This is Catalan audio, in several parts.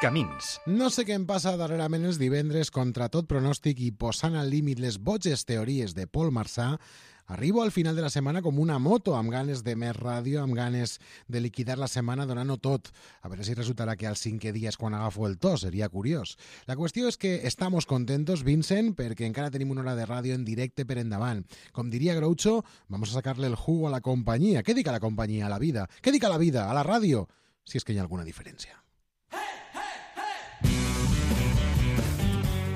Camins. No sé què em passa darrerament els divendres, contra tot pronòstic i posant al límit les boges teories de Paul Marsà, arribo al final de la setmana com una moto, amb ganes de més ràdio, amb ganes de liquidar la setmana donant-ho tot. A veure si resultarà que al 5è dia és quan agafo el to, seria curiós. La qüestió és que estamos contentos, Vincent, perquè encara tenim una hora de ràdio en directe per endavant. Com diria Groucho, vamos a sacarle el jugo a la companyia. Què dic a la companyia? A la vida. Què dic a la vida? A la ràdio? Si és que hi ha alguna diferència.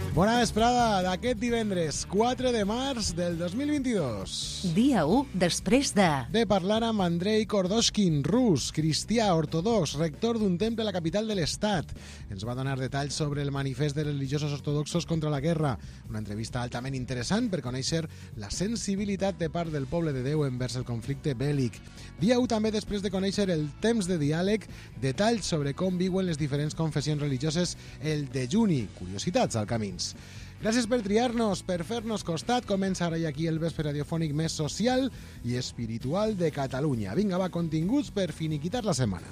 Bona vesprada d'aquest divendres 4 de març del 2022. Dia 1 després de parlar amb Andrei Kordoshkin, rus, cristià, ortodox, rector d'un temple a la capital de l'estat. Ens va donar detalls sobre el manifest de religiosos ortodoxos contra la guerra. Una entrevista altament interessant per conèixer la sensibilitat de part del poble de Déu envers el conflicte bèl·lic. Dia 1 també després de conèixer el temps de diàleg, detalls sobre com viuen les diferents confessions religioses el dejuni, curiositats al Camins. Gràcies per triar-nos, per fer-nos costat. Comença ara i aquí el vespre radiofònic més social i espiritual de Catalunya. Vinga, va, continguts per finiquitar la setmana.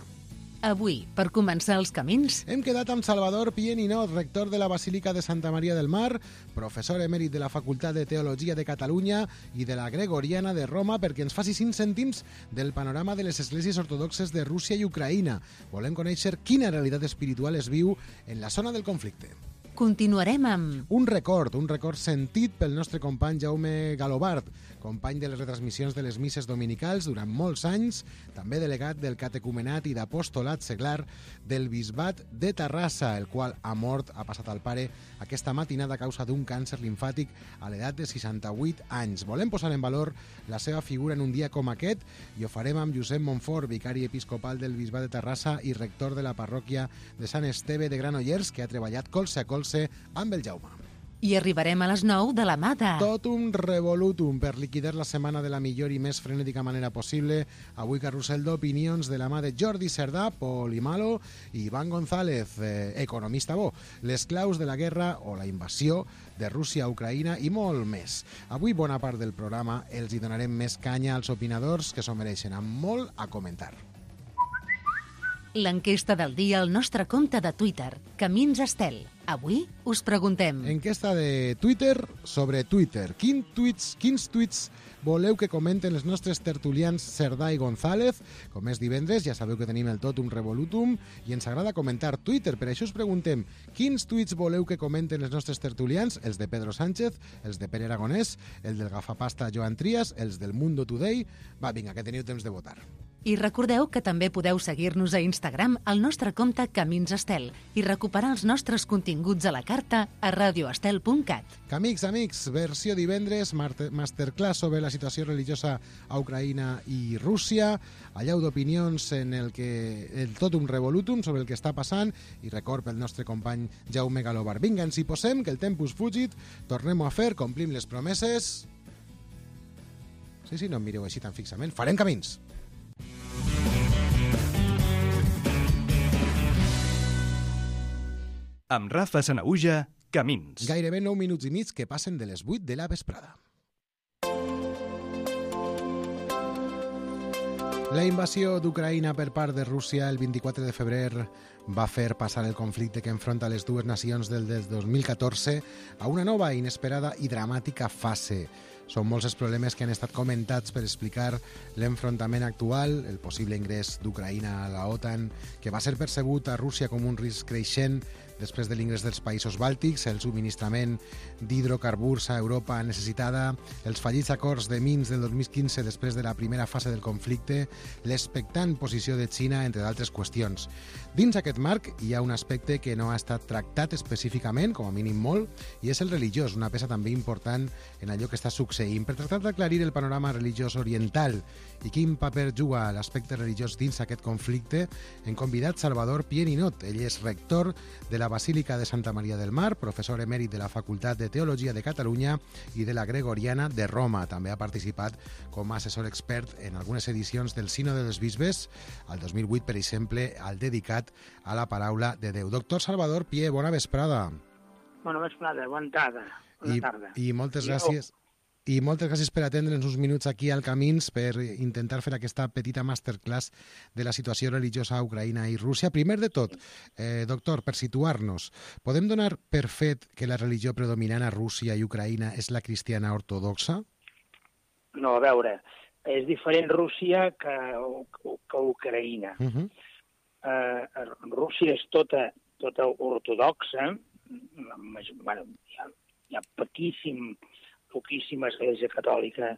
Avui, per començar els camins, hem quedat amb Salvador Pieninot, rector de la Basílica de Santa Maria del Mar, professor emèrit de la Facultat de Teologia de Catalunya i de la Gregoriana de Roma, perquè ens faci 5 cèntims del panorama de les esglésies ortodoxes de Rússia i Ucraïna. Volem conèixer quina realitat espiritual es viu en la zona del conflicte. Continuarem amb un record sentit pel nostre company Jaume Galobart, company de les retransmissions de les misses dominicals durant molts anys, també delegat del catecumenat i d'apostolat seglar del bisbat de Terrassa, el qual ha passat al pare aquesta matinada a causa d'un càncer limfàtic a l'edat de 68 anys. Volem posar en valor la seva figura en un dia com aquest i ho farem amb Josep Montfort, vicari episcopal del bisbat de Terrassa i rector de la parròquia de Sant Esteve de Granollers, que ha treballat colze a colze amb el Jaume. I arribarem a les 9 de la mà de Totum Revolutum per liquidar la setmana de la millor i més frenètica manera possible. Avui carrusel d'opinions de la mà de Jordi Cerdà, Pol Imalo i Iván González, economista bo, les claus de la guerra o la invasió de Rússia a Ucraïna i molt més. Avui bona part del programa els hi donarem més canya als opinadors que s'ho mereixen, amb molt a comentar. L'enquesta del dia al nostre compte de Twitter, Camins Estel. Avui us preguntem... Enquesta de Twitter sobre Twitter. Quins tuits voleu que comenten els nostres tertulians Cerdà i González? Com és divendres, ja sabeu que tenim el Totum Revolutum i ens agrada comentar Twitter. Per això us preguntem quins tuits voleu que comenten els nostres tertulians, els de Pedro Sánchez, els de Pere Aragonès, el del gafapasta Joan Trias, els del Mundo Today... Va, vinga, que teniu temps de votar. I recordeu que també podeu seguir-nos a Instagram al nostre compte Camins Estel i recuperar els nostres continguts a la carta a radioestel.cat. Amics, versió divendres, masterclass sobre la situació religiosa a Ucraïna i Rússia, allau d'opinions en el Totum Revolutum sobre el que està passant i record pel nostre company Jaume Galobart. Vinga, ens hi posem, que el tempus fugit, tornem-ho a fer, complim les promeses... Sí, no em mireu així tan fixament. Farem camins! Amb Rafa Sanaüja, Camins. Gairebé 9 minuts i mig que passen de les 8 de la vesprada. La invasió d'Ucraïna per part de Rússia el 24 de febrer va fer passar el conflicte que enfronta les dues nacions del 2014 a una nova, inesperada i dramàtica fase. Són molts els problemes que han estat comentats per explicar l'enfrontament actual, el possible ingrés d'Ucraïna a la OTAN, que va ser percebut a Rússia com un risc creixent després de l'ingrés dels països bàltics, el subministrament d'hidrocarburs a Europa necessitada, els fallits acords de Minsk del 2015 després de la primera fase del conflicte, l'expectant posició de Xina, entre d'altres qüestions. Dins aquest marc hi ha un aspecte que no ha estat tractat específicament, com a mínim molt, i és el religiós, una peça també important en allò que està succeint. Per tractar d'aclarir el panorama religiós oriental i quin paper juga l'aspecte religiós dins aquest conflicte, hem convidat Salvador Pieninot. Ell és rector de la Basílica de Santa Maria del Mar, professor emèrit de la Facultat de Teologia de Catalunya i de la Gregoriana de Roma. També ha participat com a assessor expert en algunes edicions del Sínode dels Bisbes, al 2008, per exemple, al dedicat a la paraula de Déu. Doctor Salvador Pie, bona vesprada. Bona vesprada, bona tarda. I moltes gràcies. I moltes gràcies per atendre'ns uns minuts aquí al Camins per intentar fer aquesta petita masterclass de la situació religiosa a Ucraïna i Rússia. Primer de tot, doctor, per situar-nos, podem donar per fet que la religió predominant a Rússia i Ucraïna és la cristiana ortodoxa? No, a veure, és diferent Rússia que Ucraïna. Rússia és tota ortodoxa, bueno, hi ha poquíssima església catòlica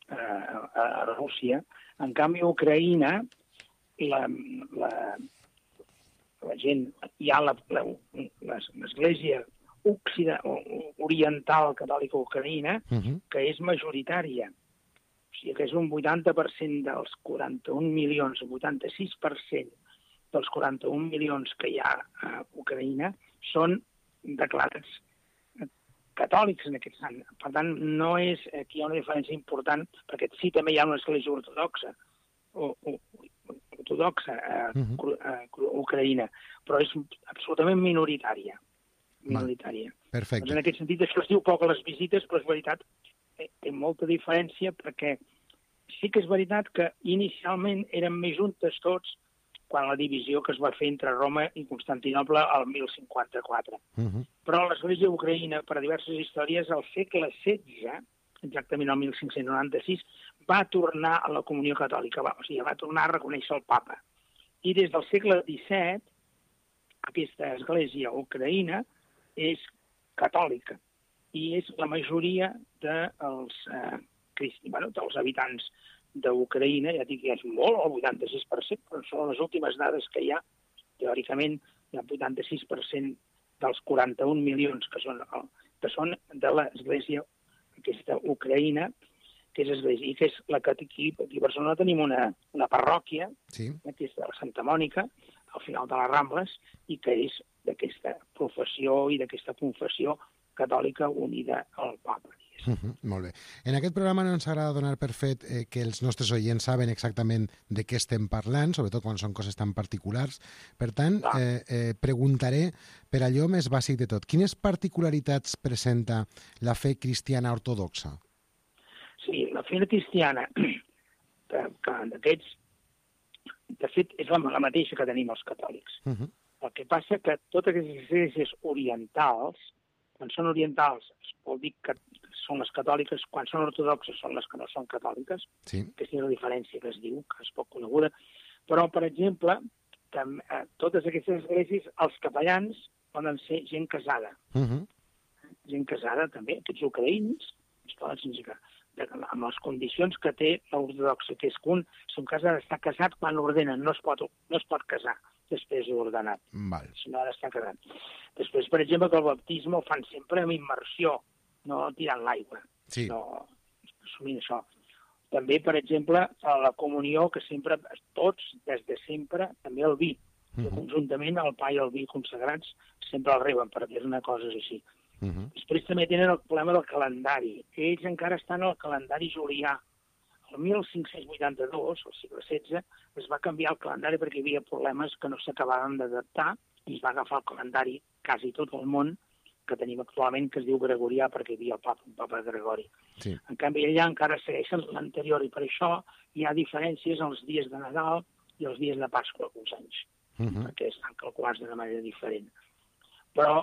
a Rússia. En canvi, a Ucraïna, la gent, hi ha l'església oriental catòlica ucraïna, que és majoritària. O sigui que és un 80% dels 41 milions, un 86% dels 41 milions que hi ha a Ucraïna són declarats catòlics en aquest sant. Per tant, no és, aquí hi ha una diferència important, perquè sí també hi ha una església ortodoxa a Ucraïna, però és absolutament minoritària. Perfecte. Doncs en aquest sentit, això es diu poc a les visites, però és veritat, té molta diferència, perquè sí que és veritat que inicialment eren més juntes tots quan la divisió que es va fer entre Roma i Constantinoble al 1054. Però l'església ucraïna, per diverses històries, al segle XVI, exactament al 1596, va tornar a la comunió catòlica, o sigui, va tornar a reconèixer el papa. I des del segle XVII, aquesta església ucraïna és catòlica i és la majoria dels habitants d'Ucraïna, ja dic que és molt, el 86%, però són les últimes dades que hi ha. Teòricament, hi ha 86% dels 41 milions que són de l'església aquesta ucraïna, que és església, i que és la que aquí a Barcelona tenim una parròquia, que és de la Santa Mònica, al final de les Rambles, i que és d'aquesta professió i d'aquesta confessió catòlica unida al papa. Molt bé. En aquest programa no ens agrada donar per fet que els nostres oients saben exactament de què estem parlant, sobretot quan són coses tan particulars. Per tant, preguntaré per allò més bàsic de tot. Quines particularitats presenta la fe cristiana ortodoxa? Sí, la fe cristiana, que d'aquests, de fet, és la mateixa que tenim els catòlics. El que passa que totes aquestes esglésies orientals, quan són orientals, vol dir que són les catòliques, quan són ortodoxes són les que no són catòliques, aquesta és la diferència que es diu, que és poc coneguda. Però, per exemple, totes aquestes esglésies, els capellans poden ser gent casada. Gent casada, també, aquests ucraïns, amb les condicions que té l'ortodoxa, que és que si un cas ha d'estar casat quan l'ordenen, no es pot casar després d'ordenat, si no ha d'estar casat. Després, per exemple, que el baptisme el fan sempre amb immersió, no tirant l'aigua, no assumint això. També, per exemple, a la comunió, que sempre, tots, des de sempre, també el vi. Conjuntament, el pa i el vi consagrats sempre el reben, perquè és una cosa així. Després també tenen el problema del calendari. Ells encara estan al calendari julià. El 1582, al segle XVI, es va canviar el calendari perquè hi havia problemes que no s'acabaven d'adaptar i es va agafar el calendari quasi tot el món que tenim actualment, que es diu gregorià, perquè hi havia un papa Gregori. En canvi, allà encara segueixen l'anterior i per això hi ha diferències als dies de Nadal i els dies de Pasqua alguns anys, perquè estan calculats d'una manera diferent. Però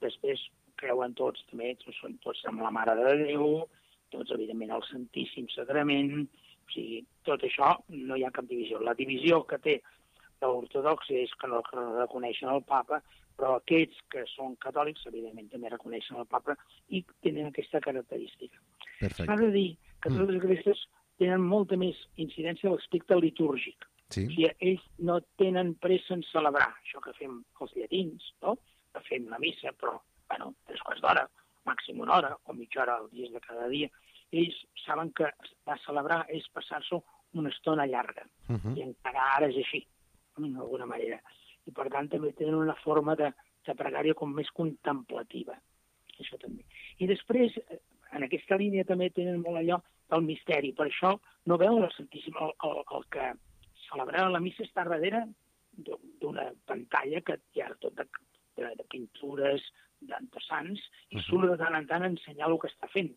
després creuen tots, també, són tots amb la Mare de Déu, tots, evidentment, el Santíssim Sagrament, o sigui, tot això no hi ha cap divisió. La divisió que té l'ortodoxa és que no reconeixen el papa, però aquests que són catòlics, evidentment, també reconeixen el papa i tenen aquesta característica. S'ha de dir que totes les esglésies tenen molta més incidència a l'aspecte litúrgic. O sigui, ells no tenen pressa en celebrar això que fem els llatins, no? Que fem la missa, però, 3 quarts d'hora, màxim una hora o mitja hora als dies de cada dia. Ells saben que celebrar és passar-s'ho una estona llarga. I encara ara és així, d'alguna manera. I, per tant, també tenen una forma de pregària com més contemplativa. Això també. I després, en aquesta línia també tenen molt allò del misteri. Per això no veuen el Santíssim. El que celebrar la missa està darrere d'una pantalla que hi ha tot de pintures, de sants, i surt de tant en tant a ensenyar el que està fent.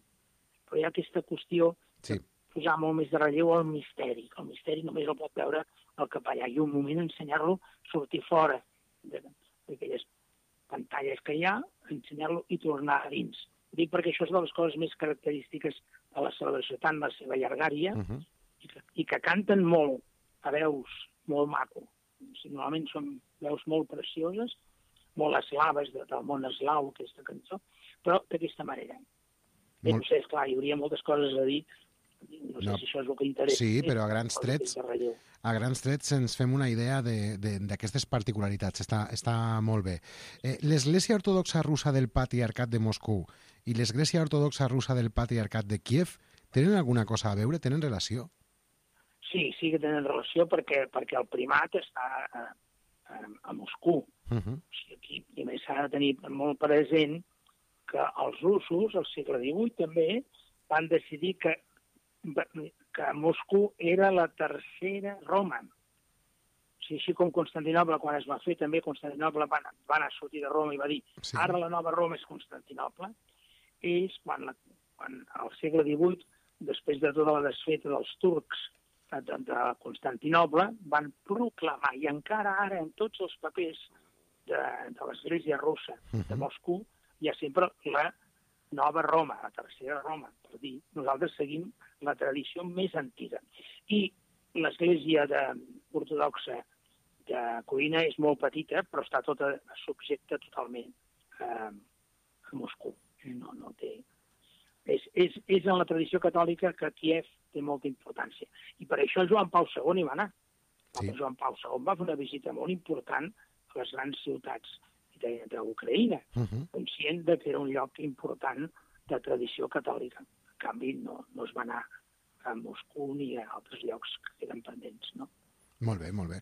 però hi ha aquesta qüestió Sí. de posar molt més de relleu al misteri. El misteri només el pot veure el capellà, i un moment ensenyar-lo sortir fora d'aquelles pantalles que hi ha, ensenyar-lo i tornar a dins. Ho dic perquè això és de les coses més característiques de la celebració, tant la seva llargària, i que canten molt, a veus molt maco. Normalment són veus molt precioses, molt eslaves, del món eslau, aquesta cançó, però d'aquesta manera. Bé, no sé, esclar, hi hauria moltes coses a dir, no sé si això és el que interessa. Sí, però a grans trets ens fem una idea d'aquestes particularitats. Està molt bé. L'Església Ortodoxa Russa del Patriarcat de Moscou i l'Església Ortodoxa Russa del Patriarcat de Kíev tenen alguna cosa a veure? Tenen relació? Sí que tenen relació perquè el primat està a Moscou. O sigui, aquí, i a més s'ha de tenir molt present que els russos, al segle XVIII també, van decidir que Moscou era la tercera Roma. O sigui, així com Constantinoble, quan es va fer, també Constantinoble va anar a sortir de Roma i va dir ara la nova Roma és Constantinoble. Ells, quan al segle XVIII, després de tota la desfeta dels turcs de Constantinoble, van proclamar, i encara ara en tots els papers de l'Església russa de Moscou, hi ha sempre la nova Roma, la tercera Roma, per dir, nosaltres seguim la tradició més antiga. I l'Església ortodoxa de Coïna és molt petita, però està tota subjecta totalment a Moscou. No té... És en la tradició catòlica que Kíev té molta importància. I per això Joan Pau II hi va anar. Sí. Joan Pau II va fer una visita molt important a les grans ciutats d'Ucraïna, conscient que era un lloc important de tradició catòlica. En canvi, no es va anar a Moscou ni a altres llocs que queden pendents, no? Molt bé, molt bé.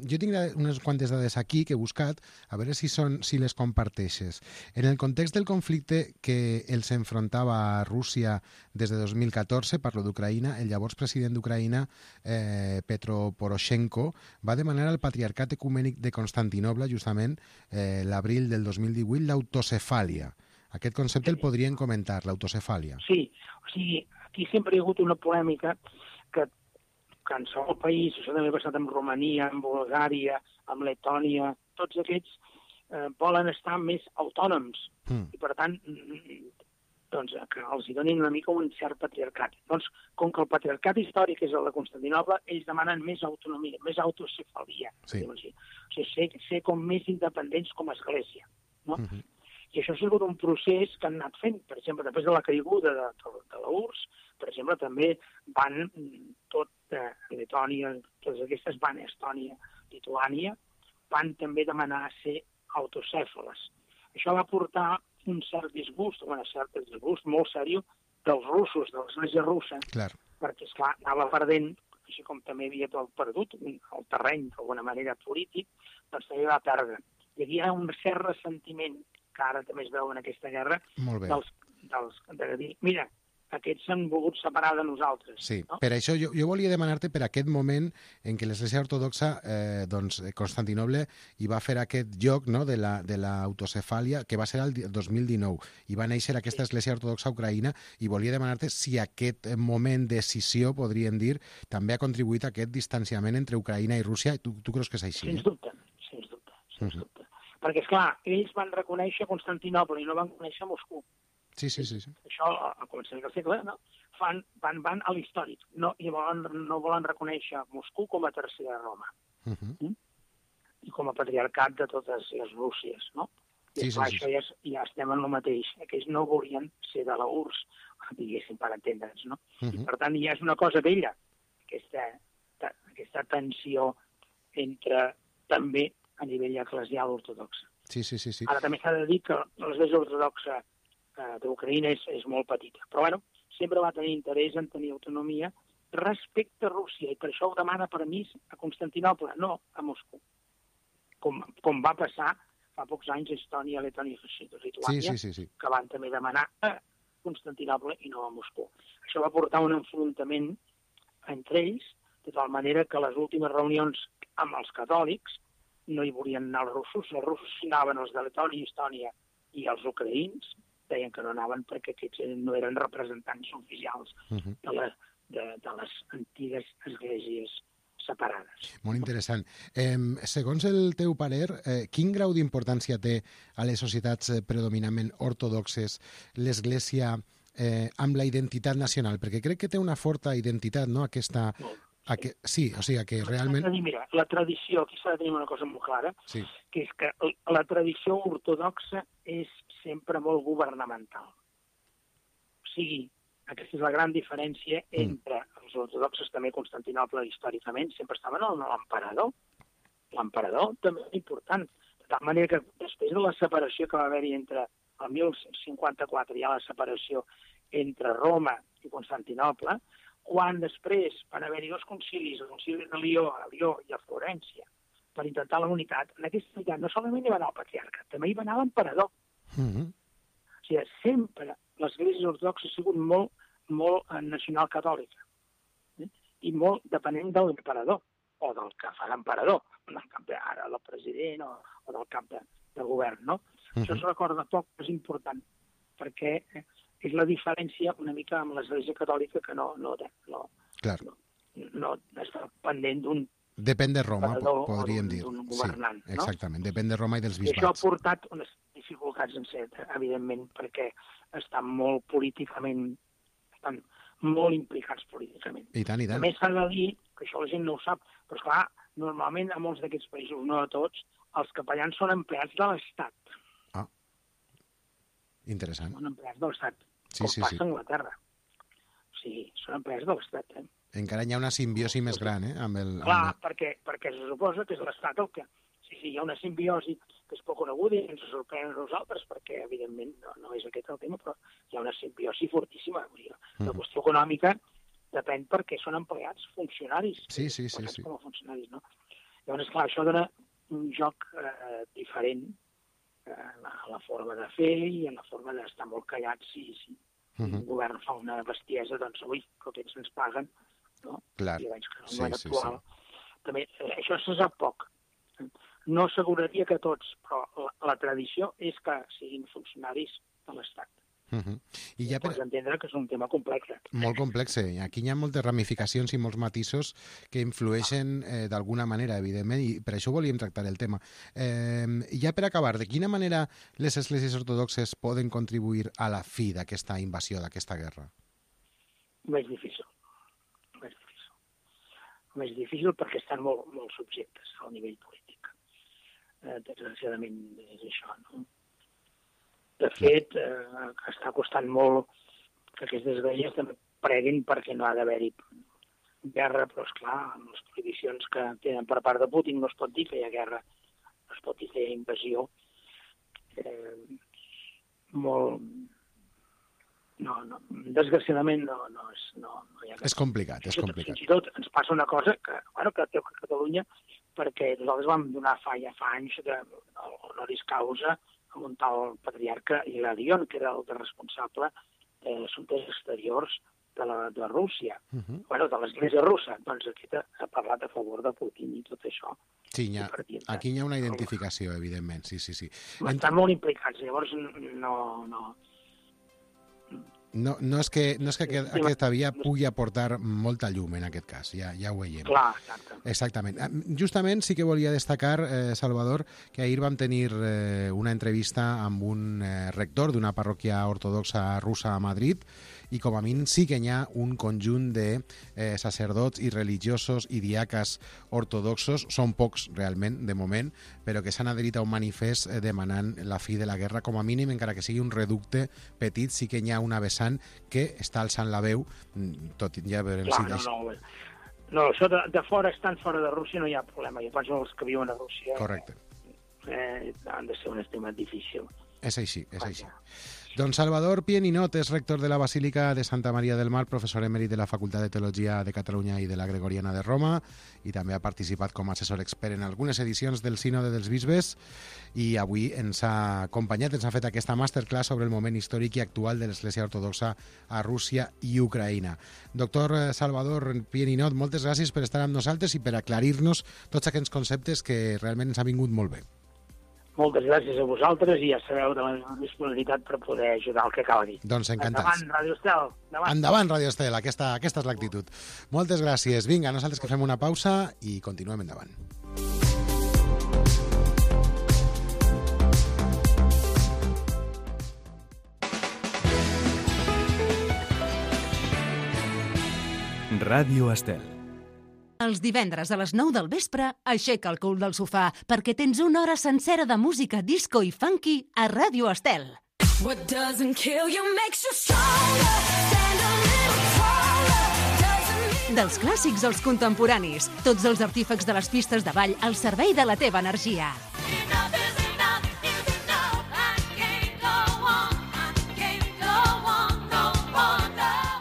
Jo tinc unes quantes dades aquí que he buscat, a veure si les comparteixes. En el context del conflicte que els enfrontava a Rússia des de 2014, parlo d'Ucraïna, el llavors president d'Ucraïna, Petro Poroshenko, va demanar al Patriarcat Ecumènic de Constantinoble, justament l'abril del 2018, l'autocefàlia. Aquest concepte el podrien comentar, l'autocefàlia. Sí, o sigui, aquí sempre hi ha hagut una polèmica que en qualsevol país, això també ha passat amb Romania, amb Bulgària, amb Letònia, tots aquests volen estar més autònoms i, per tant, doncs, que els hi donin una mica un cert patriarcat. Doncs, com que el patriarcat històric és el de Constantinoble, ells demanen més autonomia, més autocefalia. Sí. O sigui, ser com més independents com a església. No? I això ha sigut un procés que han anat fent. Per exemple, després de la caiguda de la URSS, per exemple, també van tot Letònia, totes aquestes van a Estònia, Lituània, van també demanar ser autocèfales. Això va portar un cert disgust molt seriós dels russos, de l'Església russa, perquè, esclar, anava perdent, així com també havia perdut el terreny, d'alguna manera, polític, doncs també va perdre. Hi havia un cert ressentiment, que ara també es veu en aquesta guerra, de dir, mira, aquests s'han volgut separar de nosaltres. Sí, no? Per això jo volia demanar-te per aquest moment en què l'Església Ortodoxa, Constantinoble, hi va fer aquest lloc, no?, de l'autocefàlia, que va ser el 2019, i va néixer aquesta Església Ortodoxa Ucraïna, i volia demanar-te si aquest moment de escissió, podríem dir, també ha contribuït a aquest distanciament entre Ucraïna i Rússia. Tu creus que és així? Sens dubte. Perquè, esclar, ells van reconèixer Constantinoble i no van conèixer Moscou. Sí. Això, al començament del segle, no? Van a l'històric. No volen reconèixer Moscou com a tercera Roma. I com a patriarcat de totes les Rússies, no? I clar, això ja estem en el mateix. Aquells no volien ser de la URSS, diguéssim, per entendre'ns, no? I per tant, ja és una cosa vella, aquesta tensió entre, també, a nivell eclesial ortodoxa. Sí. Ara també s'ha de dir que l'Església Ortodoxa d'Ucraïna és molt petita. Però, bueno, sempre va tenir interès en tenir autonomia respecte a Rússia, i per això ho demana permís a Constantinoble, no a Moscou. Com va passar fa pocs anys a Estònia, Letònia i Lituània, que van també demanar a Constantinoble i no a Moscou. Això va portar un enfrontament entre ells, de tal manera que les últimes reunions amb els catòlics no hi volien anar els russos anaven els de Letònia i Estònia i els ucraïns, deien que no anaven perquè aquests no eren representants oficials de les antigues esglésies separades. Molt interessant. Segons el teu parer, quin grau d'importància té a les societats predominantment ortodoxes l'Església amb la identitat nacional? Perquè crec que té una forta identitat, no?, aquesta... Sí, o sigui, que realment... Mira, la tradició, aquí s'ha de tenir una cosa molt clara, sí, que és que la tradició ortodoxa és sempre molt governamental. O sigui, aquesta és la gran diferència entre els ortodoxes, també Constantinoble històricament, sempre estaven en l'emperador. L'emperador també és important. De tal manera que després de la separació que va haver-hi entre el 1054, hi ha la separació entre Roma i Constantinoble, quan després van haver-hi dos concilis, el concili de Lió i a Florència, per intentar la unitat, en aquesta unitat no solament hi va anar el patriarca, també hi va anar l'emperador. O sigui, sempre l'Església Ortodoxa ha sigut molt nacional catòlica i molt depenent de l'emperador o del que fa l'emperador, del cap ara del president o del cap de govern, no? Això es recorda poc, és important, perquè és la diferència una mica amb l'Església catòlica que no està pendent d'un depèn de Roma, podríem dir. D'un governant, sí, exactament, depèn de Roma i dels bisbats. I això ha portat unes dificultats, evidentment, perquè estan molt políticament, estan molt implicats políticament. I tant, i tant. A més, s'ha de dir, que això la gent no ho sap, però esclar, normalment a molts d'aquests països, no a tots, els capellans són empleats de l'Estat. Ah, interessant. Són empleats de l'Estat, com passa a Anglaterra. O sigui, són empleats de l'Estat, Encara hi ha una simbiosi més gran, amb el... Clar, perquè se suposa que és l'Estat el que... Sí, hi ha una simbiosi que és poc coneguda i ens sorprèn a nosaltres, perquè, evidentment, no és aquest el tema, però hi ha una simbiosi fortíssima. La qüestió econòmica depèn perquè són empleats funcionaris. Sí. Com a funcionaris, no? Llavors, clar, això dona un joc diferent a la forma de fer i a la forma d'estar molt callats. Si el govern fa una bestiesa, doncs, ui, que aquests ens paguen, no? Clar. I veig que el govern actual... També, això se sap poc. No asseguraria que tots, però la tradició és que siguin funcionaris de l'Estat. I ja Pots entendre que és un tema complex. Molt complex. Aquí hi ha moltes ramificacions i molts matisos que influeixen d'alguna manera, evidentment, i per això volíem tractar el tema. Ja per acabar, de quina manera les esglésies ortodoxes poden contribuir a la fi d'aquesta invasió, d'aquesta guerra? Més difícil. Més difícil perquè estan molt subjectes al nivell polític. Desgraciadament és això, no? De fet, està costant molt que aquestes esglésies també preguin perquè no ha d'haver-hi guerra, però esclar, amb les prohibicions que tenen per part de Putin no es pot dir que hi ha guerra, no es pot dir que hi ha invasió. Desgraciadament no hi ha... És complicat. Fins i tot ens passa una cosa que té a Catalunya, perquè nosaltres vam donar fa anys honoris causa a un tal patriarca Hilarion, que era el responsable d'assumptes exteriors de Rússia, de l'Església russa. Doncs aquest ha parlat a favor de Putin i tot això. Sí, aquí hi ha una identificació, evidentment, sí. Estan molt implicats, llavors No és que aquesta via pugui aportar molta llum en aquest cas, ja ho veiem. Clar, exactament. Justament sí que volia destacar, Salvador, que ahir vam tenir una entrevista amb un rector d'una parròquia ortodoxa russa a Madrid i com a mínim sí que hi ha un conjunt de sacerdots i religiosos i diaques ortodoxos, són pocs realment de moment, però que s'han adherit a un manifest demanant la fi de la guerra, com a mínim, encara que sigui un reducte petit, sí que hi ha una vessant que està alçant la veu, tot ja veurem si... No, això de fora, estant fora de Rússia no hi ha problema, jo penso que els que viuen a Rússia... Correcte. Han de ser un estima difícil. És així. Doncs Salvador Pieninot és rector de la Basílica de Santa Maria del Mar, professor emèrit de la Facultat de Teologia de Catalunya i de la Gregoriana de Roma, i també ha participat com a assessor expert en algunes edicions del Sínode dels Bisbes, i avui ens ha acompanyat, ens ha fet aquesta masterclass sobre el moment històric i actual de l'Església Ortodoxa a Rússia i Ucraïna. Doctor Salvador Pieninot, moltes gràcies per estar amb nosaltres i per aclarir-nos tots aquests conceptes que realment ens ha vingut molt bé. moltes gràcies a vosaltres i ja sabeu de la meva disponibilitat per poder ajudar el que cal dir. Doncs encantats. Endavant, Ràdio Estel. Endavant, Ràdio Estel, aquesta és l'actitud. Moltes gràcies. Vinga, nosaltres que fem una pausa i continuem endavant. Ràdio Estel. Els divendres a les 9 del vespre, aixeca el cul del sofà perquè tens una hora sencera de música disco i funky a Ràdio Estel. What doesn't kill you makes you stronger. Stand a little taller. Dels clàssics als contemporanis, tots els artífecs de les pistes de ball al servei de la teva energia. Enough is enough is enough. I can't go on. I can't go on no more.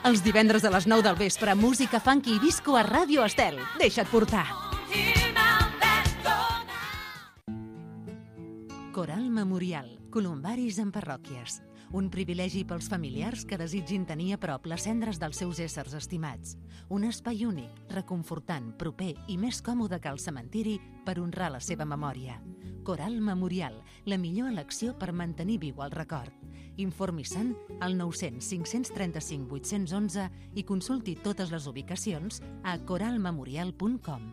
Els divendres a les 9 del vespre, música funky i disco a Ràdio Estel. Deixa't portar. Here now, let's go now. Coral Memorial, columbaris en parròquies. Un privilegi pels familiars que desitgin tenir a prop les cendres dels seus éssers estimats. Un espai únic, reconfortant, proper i més còmode que el cementiri per honrar la seva memòria. Coral Memorial, la millor elecció per mantenir viu el record. Informi-se'n al 900 535 811 i consulti totes les ubicacions a coralmemorial.com.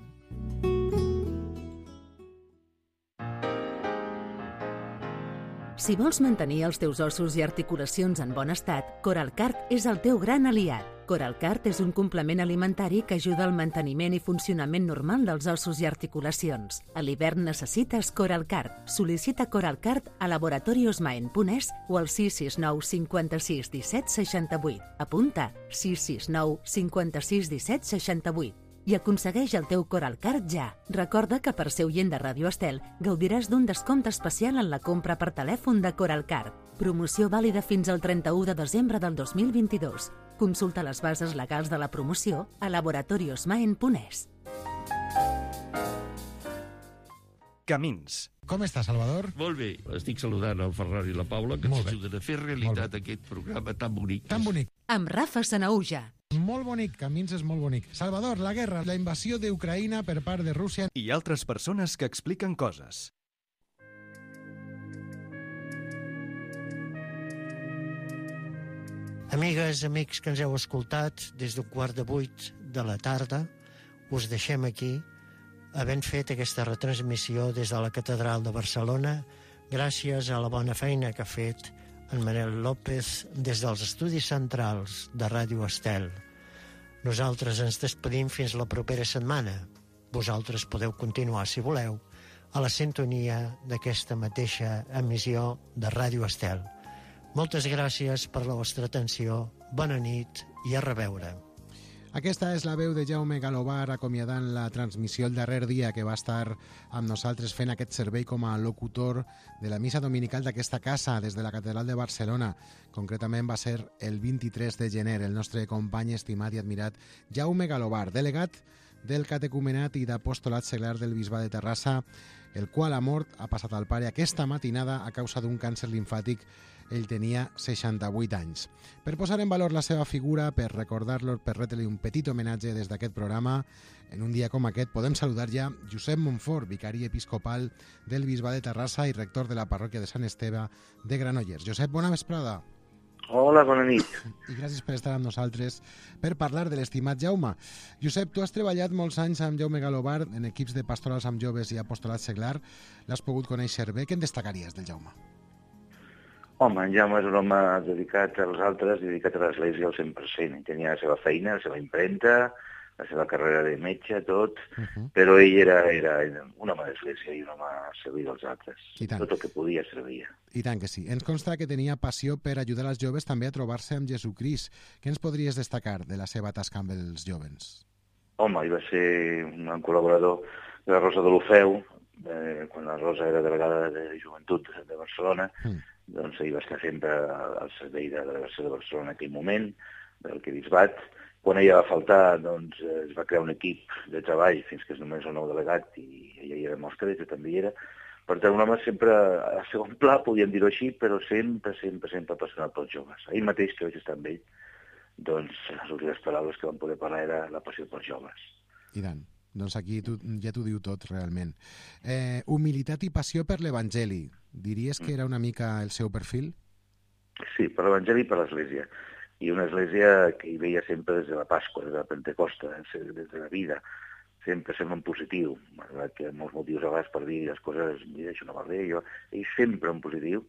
Si vols mantenir els teus ossos i articulacions en bon estat, Coralcart és el teu gran aliat. Coralcart és un complement alimentari que ajuda al manteniment i funcionament normal dels ossos i articulacions. A l'hivern necessites Coralcart. Sol·licita Coralcart a laboratoriosmaen.es o al 669 56 17 68. Apunta 669 56 17 68. I aconsegueix el teu Coralcart ja. Recorda que per ser oient de Ràdio Estel gaudiràs d'un descompte especial en la compra per telèfon de Coralcart. Promoció vàlida fins al 31 de desembre del 2022. Consulta les bases legals de la promoció a laboratoriosmaen.es. Camins. Com està, Salvador? Molt bé. Estic saludant el Ferran i la Paula, que Molt ens bé. ajuden a fer realitat aquest programa tan bonic. Tan bonic. Amb Rafa Sanaúja. Molt bonic, Camins és molt bonic. Salvador, la guerra, la invasió d'Ucraïna per part de Rússia. I altres persones que expliquen coses. Amigues, amics que ens heu escoltat, des d'un 7:15 de la tarda, us deixem aquí, havent fet aquesta retransmissió des de la Catedral de Barcelona, gràcies a la bona feina que ha fet en Manel López des dels estudis centrals de Ràdio Estel. Nosaltres ens despedim fins la propera setmana. Vosaltres podeu continuar, si voleu, a la sintonia d'aquesta mateixa emissió de Ràdio Estel. Moltes gràcies per la vostra atenció, bona nit i a reveure. Aquesta és la veu de Jaume Galobar acomiadant la transmissió el darrer dia que va estar amb nosaltres fent aquest servei com a locutor de la missa dominical d'aquesta casa des de la Catedral de Barcelona. Concretament va ser el 23 de gener. El nostre company estimat i admirat Jaume Galobar, delegat del catecumenat i d'apostolat seglar del Bisbat de Terrassa, el qual ha mort, ha passat al pare aquesta matinada a causa d'un càncer limfàtic. Ell tenia 68 anys. Per posar en valor la seva figura, per recordar-lo, per retre-li un petit homenatge des d'aquest programa, en un dia com aquest podem saludar ja Josep Montfort, vicari episcopal del Bisbat de Terrassa i rector de la parròquia de Sant Esteve de Granollers. Josep, bona vesprada. Hola, bona nit. I gràcies per estar amb nosaltres per parlar de l'estimat Jaume. Josep, tu has treballat molts anys amb Jaume Galobar en equips de pastorals amb joves i apostolat seglar. L'has pogut conèixer bé. Què en destacaries del Jaume? Home, en Jaume és un home dedicat als altres, dedicat a l'Església al 100%. Ell tenia la seva feina, la seva impremta, la seva carrera de metge, tot, però ell era un home d'Església i un home a servir als altres. Tot el que podia servia. I tant que sí. Ens consta que tenia passió per ajudar els joves també a trobar-se amb Jesucrist. Què ens podries destacar de la seva tasca amb els jovens? Home, ell va ser un col·laborador de la Rosa de l'Ofeu, quan la Rosa era delegada de Joventut de Barcelona, doncs ell va estar sempre al servei de la delegació de Barcelona en aquell moment, del Bisbat. Quan ella va faltar, doncs es va crear un equip de treball fins que és només el nou delegat i ella hi era mostra, i també hi era. Per tant, un home sempre a segon pla, podríem dir-ho així, però sempre apassionat pels joves. Ahir mateix que vaig estar amb ell, doncs les últimes paraules que vam poder parlar era la passió pels joves. I tant. Doncs aquí ja t'ho diu tot, realment. Humilitat i passió per l'Evangeli. Diries que era una mica el seu perfil? Sí, per l'Evangeli i per l'Església. I una Església que hi veia sempre des de la Pasqua, des de la Pentecosta, des de la vida. Sempre en positiu, malgrat que molts motius a vegades per dir les coses, mira, això no va bé, ell sempre en positiu,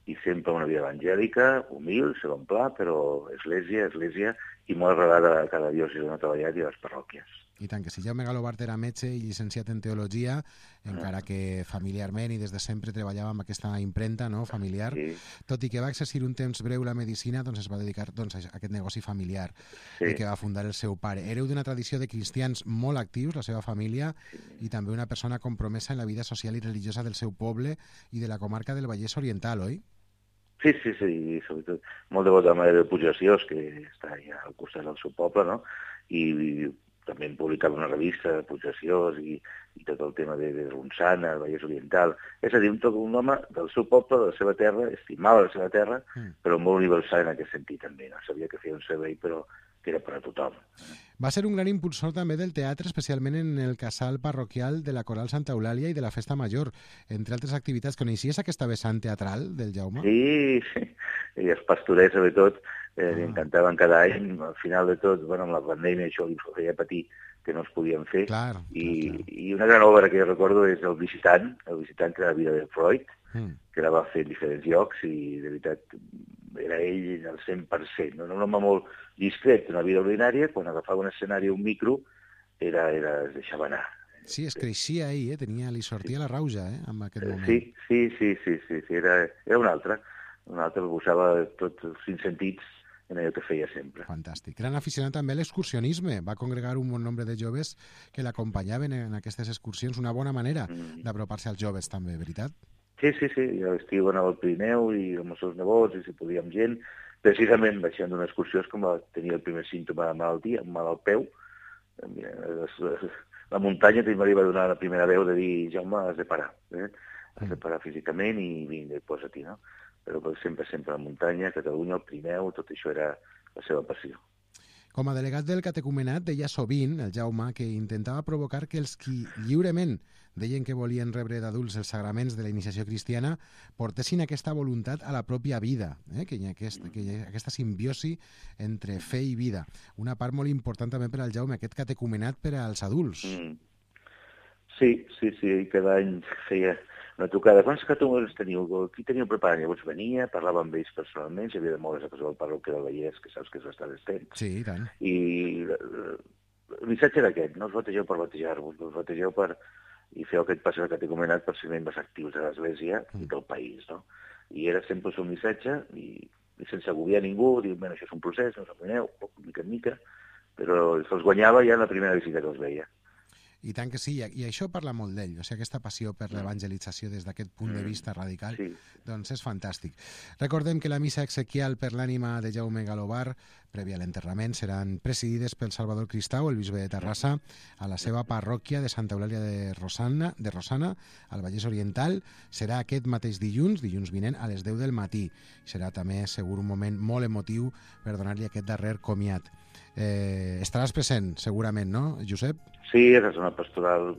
i sempre una vida evangèlica, humil, segon pla, però església, i molt arrelada a cada diòcesi on ha treballat i a les parròquies. I tant que sí. Jaume Galobart era metge i llicenciat en teologia, encara que familiarment i des de sempre treballava amb aquesta impremta, no?, familiar. Sí. Tot i que va exercir un temps breu la medicina, doncs es va dedicar a aquest negoci familiar i que va fundar el seu pare. Hereu d'una tradició de cristians molt actius, la seva família, i també una persona compromesa en la vida social i religiosa del seu poble i de la comarca del Vallès Oriental, oi? Sí, sobretot molt devot a la Mare de Pujaciós, que està allà al costat del seu poble, no?, i també en publicava una revista de Pujaciós i tot el tema de Ronçana, el Vallès Oriental. És a dir, un home del seu poble, de la seva terra, estimava la seva terra, però molt universal en aquest sentit també. No sabia que feia un servei, però que era per a tothom. Va ser un gran impulsor també del teatre, especialment en el casal parroquial de la Coral Santa Eulàlia i de la Festa Major, entre altres activitats. Coneixies aquesta vessant teatral del Jaume? Sí. I els pastorets, sobretot, li encantaven cada any. Al final de tot, amb la pandèmia això li feia patir que no es podien fer. Clar. I una gran obra que jo recordo és El visitant, que era la vida de Freud, que la va fer en diferents llocs i, de veritat, era ell al 100%. No? Un home molt discret, una vida ordinària, quan agafava un escenari o un micro, es deixava anar. Sí, es creixia ell, li sortia la rauja, en aquest moment. Sí, era un altre que usava tots els 5 sentits en allò que feia sempre. Fantàstic. Gran aficionat també a l'excursionisme. Va congregar un bon nombre de joves que l'acompanyaven en aquestes excursions. Una bona manera d'apropar-se als joves també, veritat? Sí. A l'estiu anava al Pirineu i amb els seus nebots, i si podia amb gent. Precisament baixant d'una excursió és com tenia el primer símptoma de malaltia, un mal al peu. La muntanya també li va donar la primera veu de dir, Jaume, has de parar. Has de parar físicament i vinga, posa-t'hi, no? Però sempre a la muntanya, Catalunya, el Pirineu, tot això era la seva passió. Com a delegat del catecumenat deia sovint, el Jaume, que intentava provocar que els qui lliurement deien que volien rebre d'adults els sagraments de la iniciació cristiana portessin aquesta voluntat a la pròpia vida, que hi ha aquesta simbiosi entre fe i vida. Una part molt important també per al Jaume, aquest catecumenat per als adults. Sí, cada any feia una trucada. Quants catecumenats teniu? Qui teniu preparat? Llavors venia, parlava amb ells personalment, si havia de moure's a casa del parroquia del Vallès, que saps que és bastant extens. Sí, i tant. I el missatge era aquest, no us bategeu per batejar-vos, us bategeu per i feu aquest pas al catecumenat per ser membres actius de l'Església i del país, no? I era sempre el seu missatge, i sense agobiar ningú, dir, bueno, això és un procés, no us amoïneu, mica en mica, però se'ls guanyava ja en la primera visita que els veia. I tant que sí, i això parla molt d'ell, o sigui, aquesta passió per l'evangelització des d'aquest punt de vista radical, doncs és fantàstic. Recordem que la missa exequial per l'ànima de Jaume Galobart, prèvia a l'enterrament, seran presidides pel Salvador Cristau, el bisbe de Terrassa, a la seva parròquia de Santa Eulàlia de Rossana, al Vallès Oriental. Serà aquest mateix dilluns vinent, a les 10 del matí. Serà també, segur, un moment molt emotiu per donar-li aquest darrer comiat. Estaràs present, segurament, no, Josep? Sí, és una pastoral.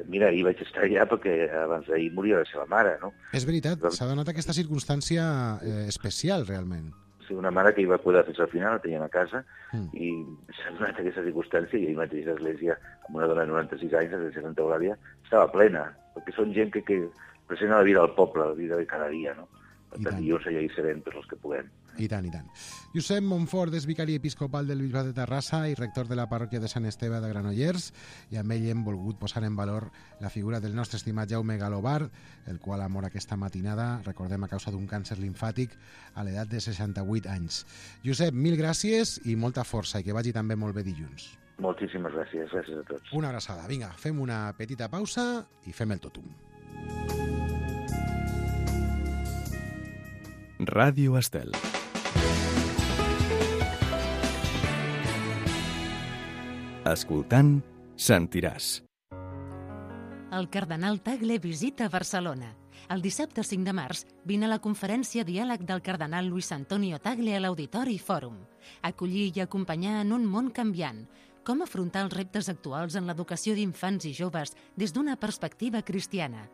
Mira, ahir vaig estar allà perquè abans d'ahir moria la seva mare, no? És veritat, s'ha donat aquesta circumstància especial, realment. Sí, una mare que hi va cuidar fins al final, la teníem a casa, i s'ha donat aquesta circumstància, i ahir mateix l'església, amb una dona de 96 anys, l'església de Santa Eulàlia, estava plena, perquè són gent que presenta la vida del poble, la vida de cada dia, no? Per tant, dilluns allà hi serem tots els que puguem. I tant, i tant. Josep Montfort és vicari episcopal del Bisbat de Terrassa i rector de la parròquia de Sant Esteve de Granollers, i amb ell hem volgut posar en valor la figura del nostre estimat Jaume Galobart, el qual ha mort aquesta matinada, recordem, a causa d'un càncer limfàtic a l'edat de 68 anys. Josep, mil gràcies i molta força, i que vagi també molt bé dilluns. Moltíssimes gràcies a tots. Una abraçada. Vinga, fem una petita pausa i fem el totum. Ràdio Estel. Escoltant, sentiràs. El cardenal Tagle visita Barcelona. El dissabte 5 de març vine a la conferència Diàleg del cardenal Luis Antonio Tagle a l'Auditori Fòrum. Acollir i acompanyar en un món canviant. Com afrontar els reptes actuals en l'educació d'infants i joves des d'una perspectiva cristiana.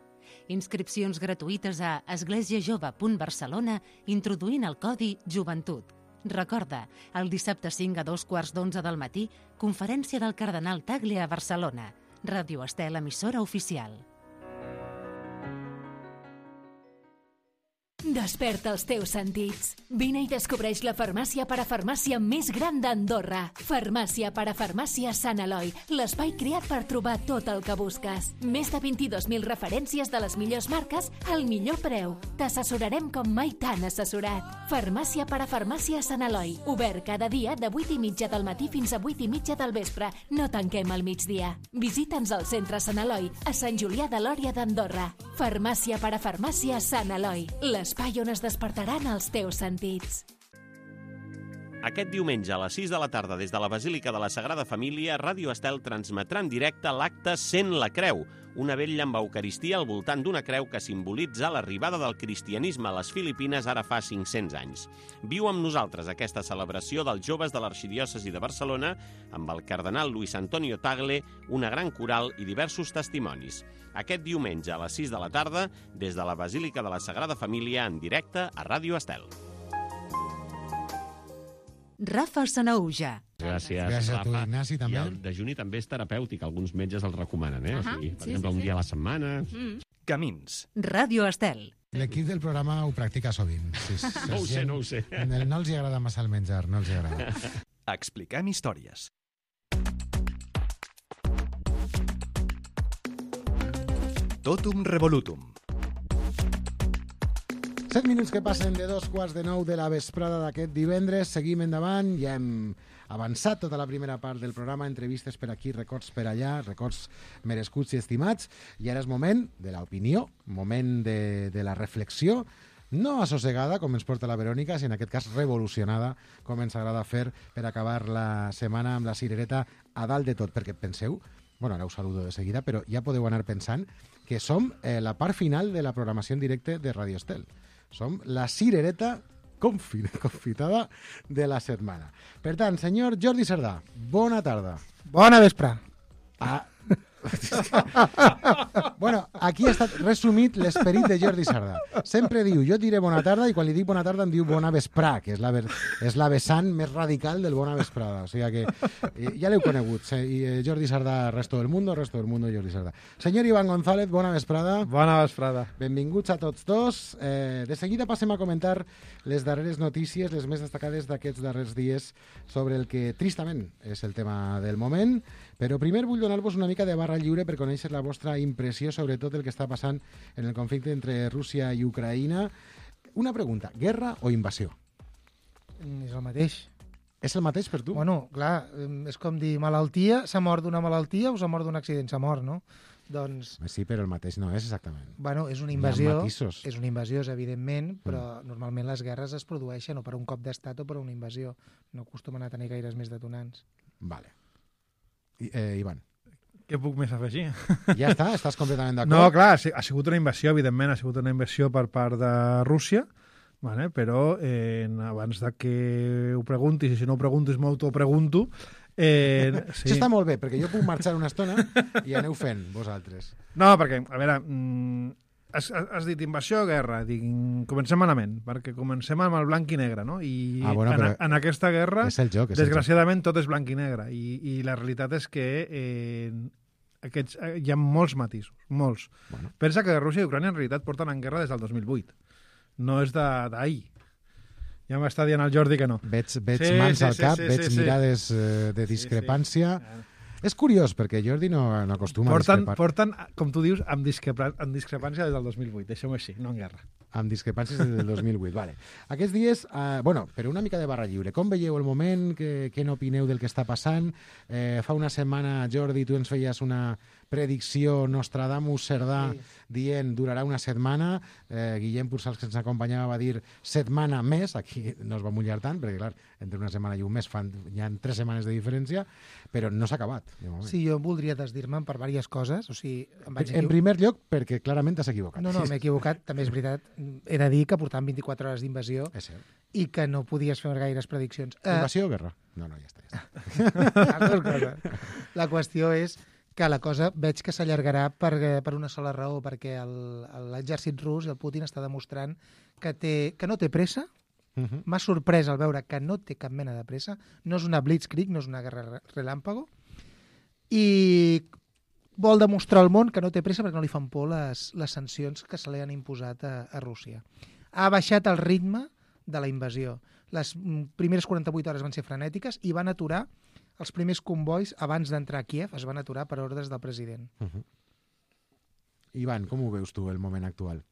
Inscripcions gratuïtes a esglésiajove.barcelona introduint el codi Joventut. Recorda, el dissabte 5 a 2:15 del matí, conferència del cardenal Tagle a Barcelona. Ràdio Estel, emissora oficial. Desperta els teus sentits. Vine i descobreix la farmàcia parafarmàcia més gran d'Andorra. Farmàcia parafarmàcia Sant Eloi, l'espai creat per trobar tot el que busques. Més de 22.000 referències de les millors marques al millor preu. T'assessorarem com mai t'han assessorat. Farmàcia parafarmàcia Sant Eloi, obert cada dia de 8:30 del matí fins a 8:30 del vespre. No tanquem al migdia. Visita'ns al centre Sant Eloi, a Sant Julià de Lòria d'Andorra. Farmàcia parafarmàcia Sant Eloi, l'espai on es despertaran els teus sentits. Aquest diumenge a les 6 de la tarda des de la Basílica de la Sagrada Família, Ràdio Estel transmetrà en directe l'acte Sent la Creu, una vetlla amb Eucaristia al voltant d'una creu que simbolitza l'arribada del cristianisme a les Filipines ara fa 500 anys. Viu amb nosaltres aquesta celebració dels joves de l'Arxidiòcesi de Barcelona amb el cardenal Luis Antonio Tagle, una gran coral i diversos testimonis. Aquest diumenge a les 6 de la tarda des de la Basílica de la Sagrada Família en directe a Ràdio Estel. Rafa Sanaúja. Gràcies a tu, Ignasi, també. I el dejuni també és terapèutic, alguns metges el recomanen, o sigui, per exemple, un dia a la setmana. Camins. Ràdio Estel. L'equip del programa ho practica sovint. No ho sé. No els agrada massa el menjar, no els agrada. Expliquem històries. Totum revolutum. 7 minuts que passen de 2:15 de la vesprada d'aquest divendres. Seguim endavant, ja hem avançat tota la primera part del programa, entrevistes per aquí, records per allà, records merescuts i estimats, i ara és moment de l'opinió, moment de la reflexió, no assossegada, com ens porta la Verònica, sinó en aquest cas revolucionada, com ens agrada fer per acabar la setmana amb la cirereta a dalt de tot, perquè penseu, bueno, ara us saludo de seguida, però ja podeu anar pensant que som la part final de la programació en directe de Radio Estel. Som la cirereta confitada de la setmana. Per tant, senyor Jordi Cerdà, bona tarda. Bona vespre. Bueno, aquí ha estat resumit l'esperit de Jordi Cerdà. Sempre diu, jo et diré bona tarda, i quan li dic bona tarda em diu bona vesprà, que és la vessant més radical del bona vesprada. O sigui que ja l'heu conegut. Jordi Cerdà, resto del mundo, Jordi Cerdà. Senyor Ivan González, bona vesprada. Bona vesprada. Benvinguts a tots dos. De seguida passem a comentar les darreres notícies, les més destacades d'aquests darrers dies sobre el que tristament és el tema del moment. Però primer vull donar-vos una mica de barra lliure per conèixer la vostra impressió sobre tot el que està passant en el conflicte entre Rússia i Ucraïna. Una pregunta, guerra o invasió? És el mateix. És el mateix per tu? Bueno, clar, és com dir malaltia, s'ha mort d'una malaltia o s'ha mort d'un accident? S'ha mort, no? Doncs... Sí, però el mateix no és exactament. Bueno, és una invasió, evidentment, però normalment les guerres es produeixen o per un cop d'estat o per una invasió. No acostumen a tenir gaires més detonants. Vale. Ivan. Què puc més afegir? Ja està? Estàs completament d'acord? No, clar, ha sigut una invasió, evidentment, ha sigut una invasió per part de Rússia, vale? Però abans de que ho preguntis, i si no ho preguntis m'autopregunto... Sí. Això està molt bé, perquè jo puc marxar una estona i aneu fent, vosaltres. No, perquè, a veure... Has dit invasió o guerra? Dic, comencem malament, perquè comencem amb el blanc i negre, no? I bueno, en aquesta guerra, desgraciadament, tot és blanc i negre. I la realitat és que hi ha molts matisos, molts. Bueno. Pensa que Rússia i Ucrània en realitat porten en guerra des del 2008. No és d'ahir. Ja m'està dient el Jordi que no. Veig mans al cap, veig mirades de discrepància... És curiós, perquè Jordi no acostuma a discrepar. Porten, com tu dius, amb discrepància des del 2008. Deixem-ho així, no en guerra. Amb discrepàncies des del 2008, vale. Aquests dies, però una mica de barra lliure. Com veieu el moment? Què n'opineu del que està passant? Fa una setmana, Jordi, tu ens feies una predicció Nostradamus Cerdà dient durarà una setmana, Guillem Pursals, que ens acompanyava, va dir setmana més, aquí no es va mullar tant, perquè clar, entre una setmana i un mes hi ha 3 setmanes de diferència, però no s'ha acabat. Sí, jo voldria desdir-me'n per diverses coses. O sigui, en primer lloc, perquè clarament t'has equivocat. No, m'he equivocat, també és veritat. He de dir que portàvem 24 hores d'invasió i que no podies fer gaires prediccions. Invasió o guerra? No, ja està. Les dues coses. La qüestió és que la cosa veig que s'allargarà per una sola raó, perquè l'exèrcit rus i el Putin està demostrant que no té pressa. M'ha sorprès al veure que no té cap mena de pressa, no és una blitzkrieg, no és una guerra relàmpago, i vol demostrar al món que no té pressa perquè no li fan por les sancions que se li han imposat a Rússia. Ha baixat el ritme de la invasió. Les primeres 48 hores van ser frenètiques i van aturar els primers convois abans d'entrar a Kíev, es van aturar per ordres del president. Ivan, com ho veus tu, el moment actual?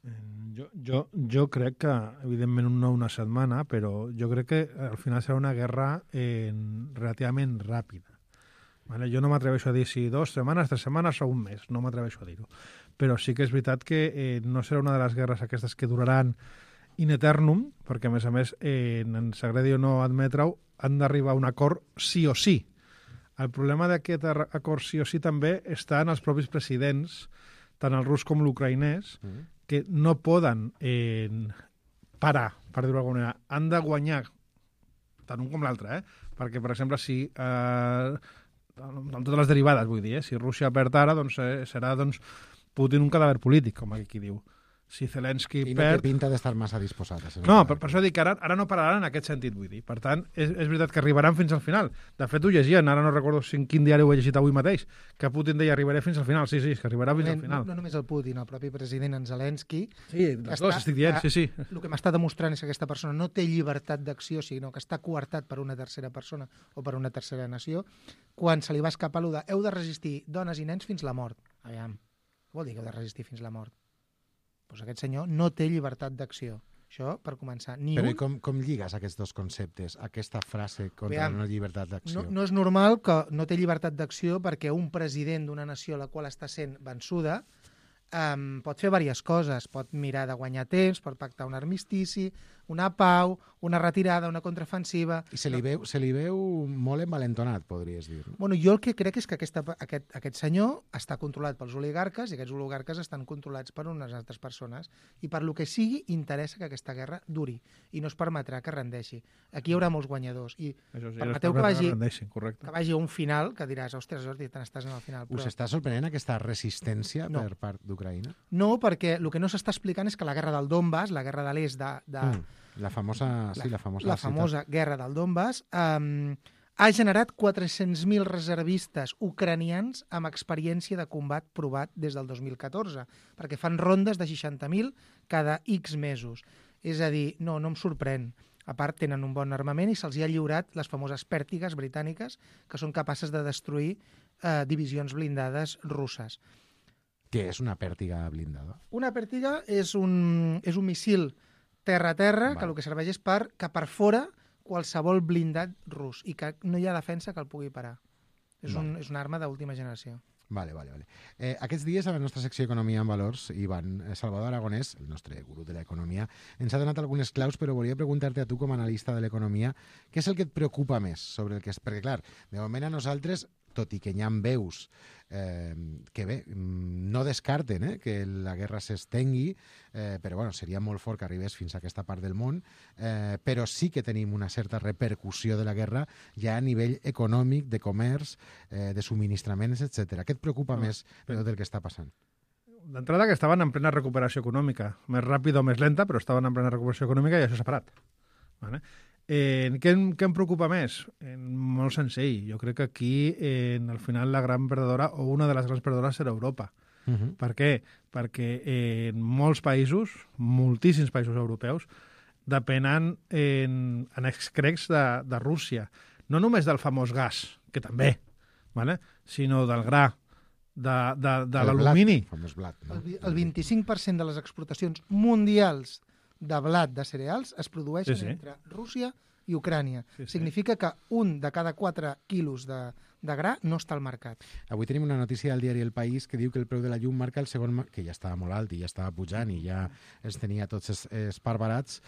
Jo crec que, evidentment, no una setmana, però jo crec que al final serà una guerra relativament ràpida. Vale? Jo no m'atreveixo a dir si 2 setmanes, 3 setmanes o un mes, no m'atreveixo a dir-ho. Però sí que és veritat que no serà una de les guerres aquestes que duraran in eternum, perquè, a més, ens agradi o no admetre-ho, han d'arribar a un acord sí o sí. El problema d'aquest acord sí o sí també està en els propis presidents, tant el rus com l'ucraïnès, que no poden parar, per dir-ho d'alguna manera. Han de guanyar tant un com l'altre, perquè, per exemple, si amb totes les derivades, vull dir, si Rússia perd ara, doncs serà Putin un cadàver polític, com aquí diu. Si Zelensky I no perd... té pinta d'estar massa disposat. No, per això dic que ara no pararan en aquest sentit, vull dir. Per tant, és veritat que arribaran fins al final. De fet, ho llegien, ara no recordo en quin diari ho he llegit avui mateix, que Putin deia arribaré fins al final. Sí, que arribarà fins al final. No només el Putin, el propi president, en Zelensky. Sí, les dues, estic dient, sí. El que m'està demostrant és que aquesta persona no té llibertat d'acció, sinó que està coartat per una tercera persona o per una tercera nació, quan se li va escapar allò de heu de resistir dones i nens fins la mort. Aviam, què vol dir que heu de resistir fins la mort? Doncs aquest senyor no té llibertat d'acció. Això, per començar. Però com lligues aquests dos conceptes, aquesta frase contra la no llibertat d'acció? No és normal que no té llibertat d'acció perquè un president d'una nació a la qual està sent vençuda pot fer diverses coses. Pot mirar de guanyar temps, pot pactar un armistici, una pau, una retirada, una contraofensiva... I se li veu molt envalentonat, podries dir. Bueno, jo el que crec és que aquest senyor està controlat pels oligarques i aquests oligarques estan controlats per unes altres persones i per lo que sigui interessa que aquesta guerra duri i no es permetrà que rendeixi. Aquí hi haurà molts guanyadors i permeteu que vagi a un final que diràs, ostres, Jordi, te n'estàs en el final. Us està sorprenent aquesta resistència per part d'Ucraïna? No, perquè el que no s'està explicant és que la guerra del Donbass, la guerra de l'est La famosa guerra del Donbass ha generat 400.000 reservistes ucranians amb experiència de combat provat des del 2014, perquè fan rondes de 60.000 cada X mesos. És a dir, no em sorprèn. A part, tenen un bon armament i se'ls ha lliurat les famoses pèrtigues britàniques que són capaces de destruir divisions blindades russes. Què és una pèrtiga blindada? Una pèrtiga és un missil terra-terra, que el que serveix és que per fora qualsevol blindat rus i que no hi ha defensa que el pugui parar. És una arma d'última generació. Vale. Aquests dies a la nostra secció Economia en Valors, Ivan, Salvador Aragonès, el nostre gurú de l'economia, ens ha donat algunes claus, però volia preguntar-te a tu com a analista de l'economia, què és el que et preocupa més sobre el que és? Perquè, clar, de moment a nosaltres, tot i que hi ha veus que bé, no descarten que la guerra s'estengui, però bueno, seria molt fort que arribés fins a aquesta part del món, però sí que tenim una certa repercussió de la guerra ja a nivell econòmic, de comerç, de subministraments, etc. Què et preocupa més del que està passant? D'entrada que estaven en plena recuperació econòmica, més ràpida o més lenta, però estaven en plena recuperació econòmica i això s'ha parat. Vale? Què em preocupa més? Molt senzill. Jo crec que aquí, al final, la gran perdedora, o una de les grans perdedores, serà Europa. Per què? Perquè en molts països, moltíssims països europeus, depenen en excrecs de Rússia. No només del famós gas, que també, vale? Sinó del gra, de l'alumini. El 25% de les exportacions mundials de blat de cereals es produeixen entre Rússia i Ucrània. Significa que un de cada 4 quilos de de gra no està al mercat. Avui tenim una notícia del diari El País que diu que el preu de la llum marca el segon... que ja estava molt alt i ja estava pujant i ja els tenia tots esparbarats,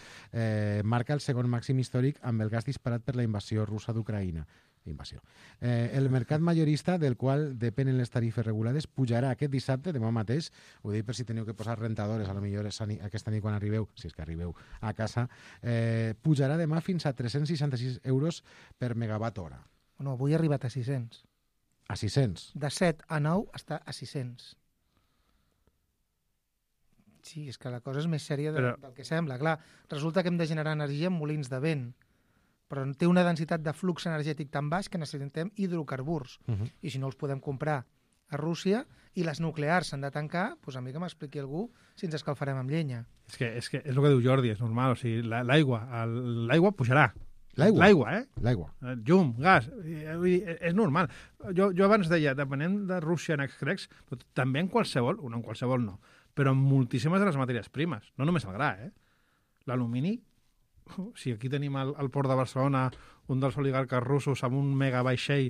marca el segon màxim històric amb el gas disparat per la invasió russa d'Ucraïna. El mercat majorista, del qual depenen les tarifes regulades, pujarà aquest dissabte, demà mateix, ho dic per si teniu que posar rentadores, a lo millor aquesta nit quan arribeu, si és que arribeu a casa, pujarà demà fins a 366 euros per megawatt hora. No, avui ha arribat a 600. A 600? De 7 a 9 està a 600. Sí, és que la cosa és més sèria del que sembla. Clar, resulta que hem de generar energia amb molins de vent, però té una densitat de flux energètic tan baix que necessitem hidrocarburs. I si no els podem comprar a Rússia i les nuclears s'han de tancar, doncs a mi que m'expliqui algú si ens escalfarem amb llenya. És que és el que diu Jordi, és normal. O sigui, l'aigua pujarà. L'aigua, L'aigua. Llum, gas, és normal. Jo abans deia, depenent de Rússia en extrecs, però també en qualsevol, no en qualsevol no, però en moltíssimes de les matèries primes, no només el gra, l'alumini, si aquí tenim al port de Barcelona un dels oligarques russos amb un megavaixell,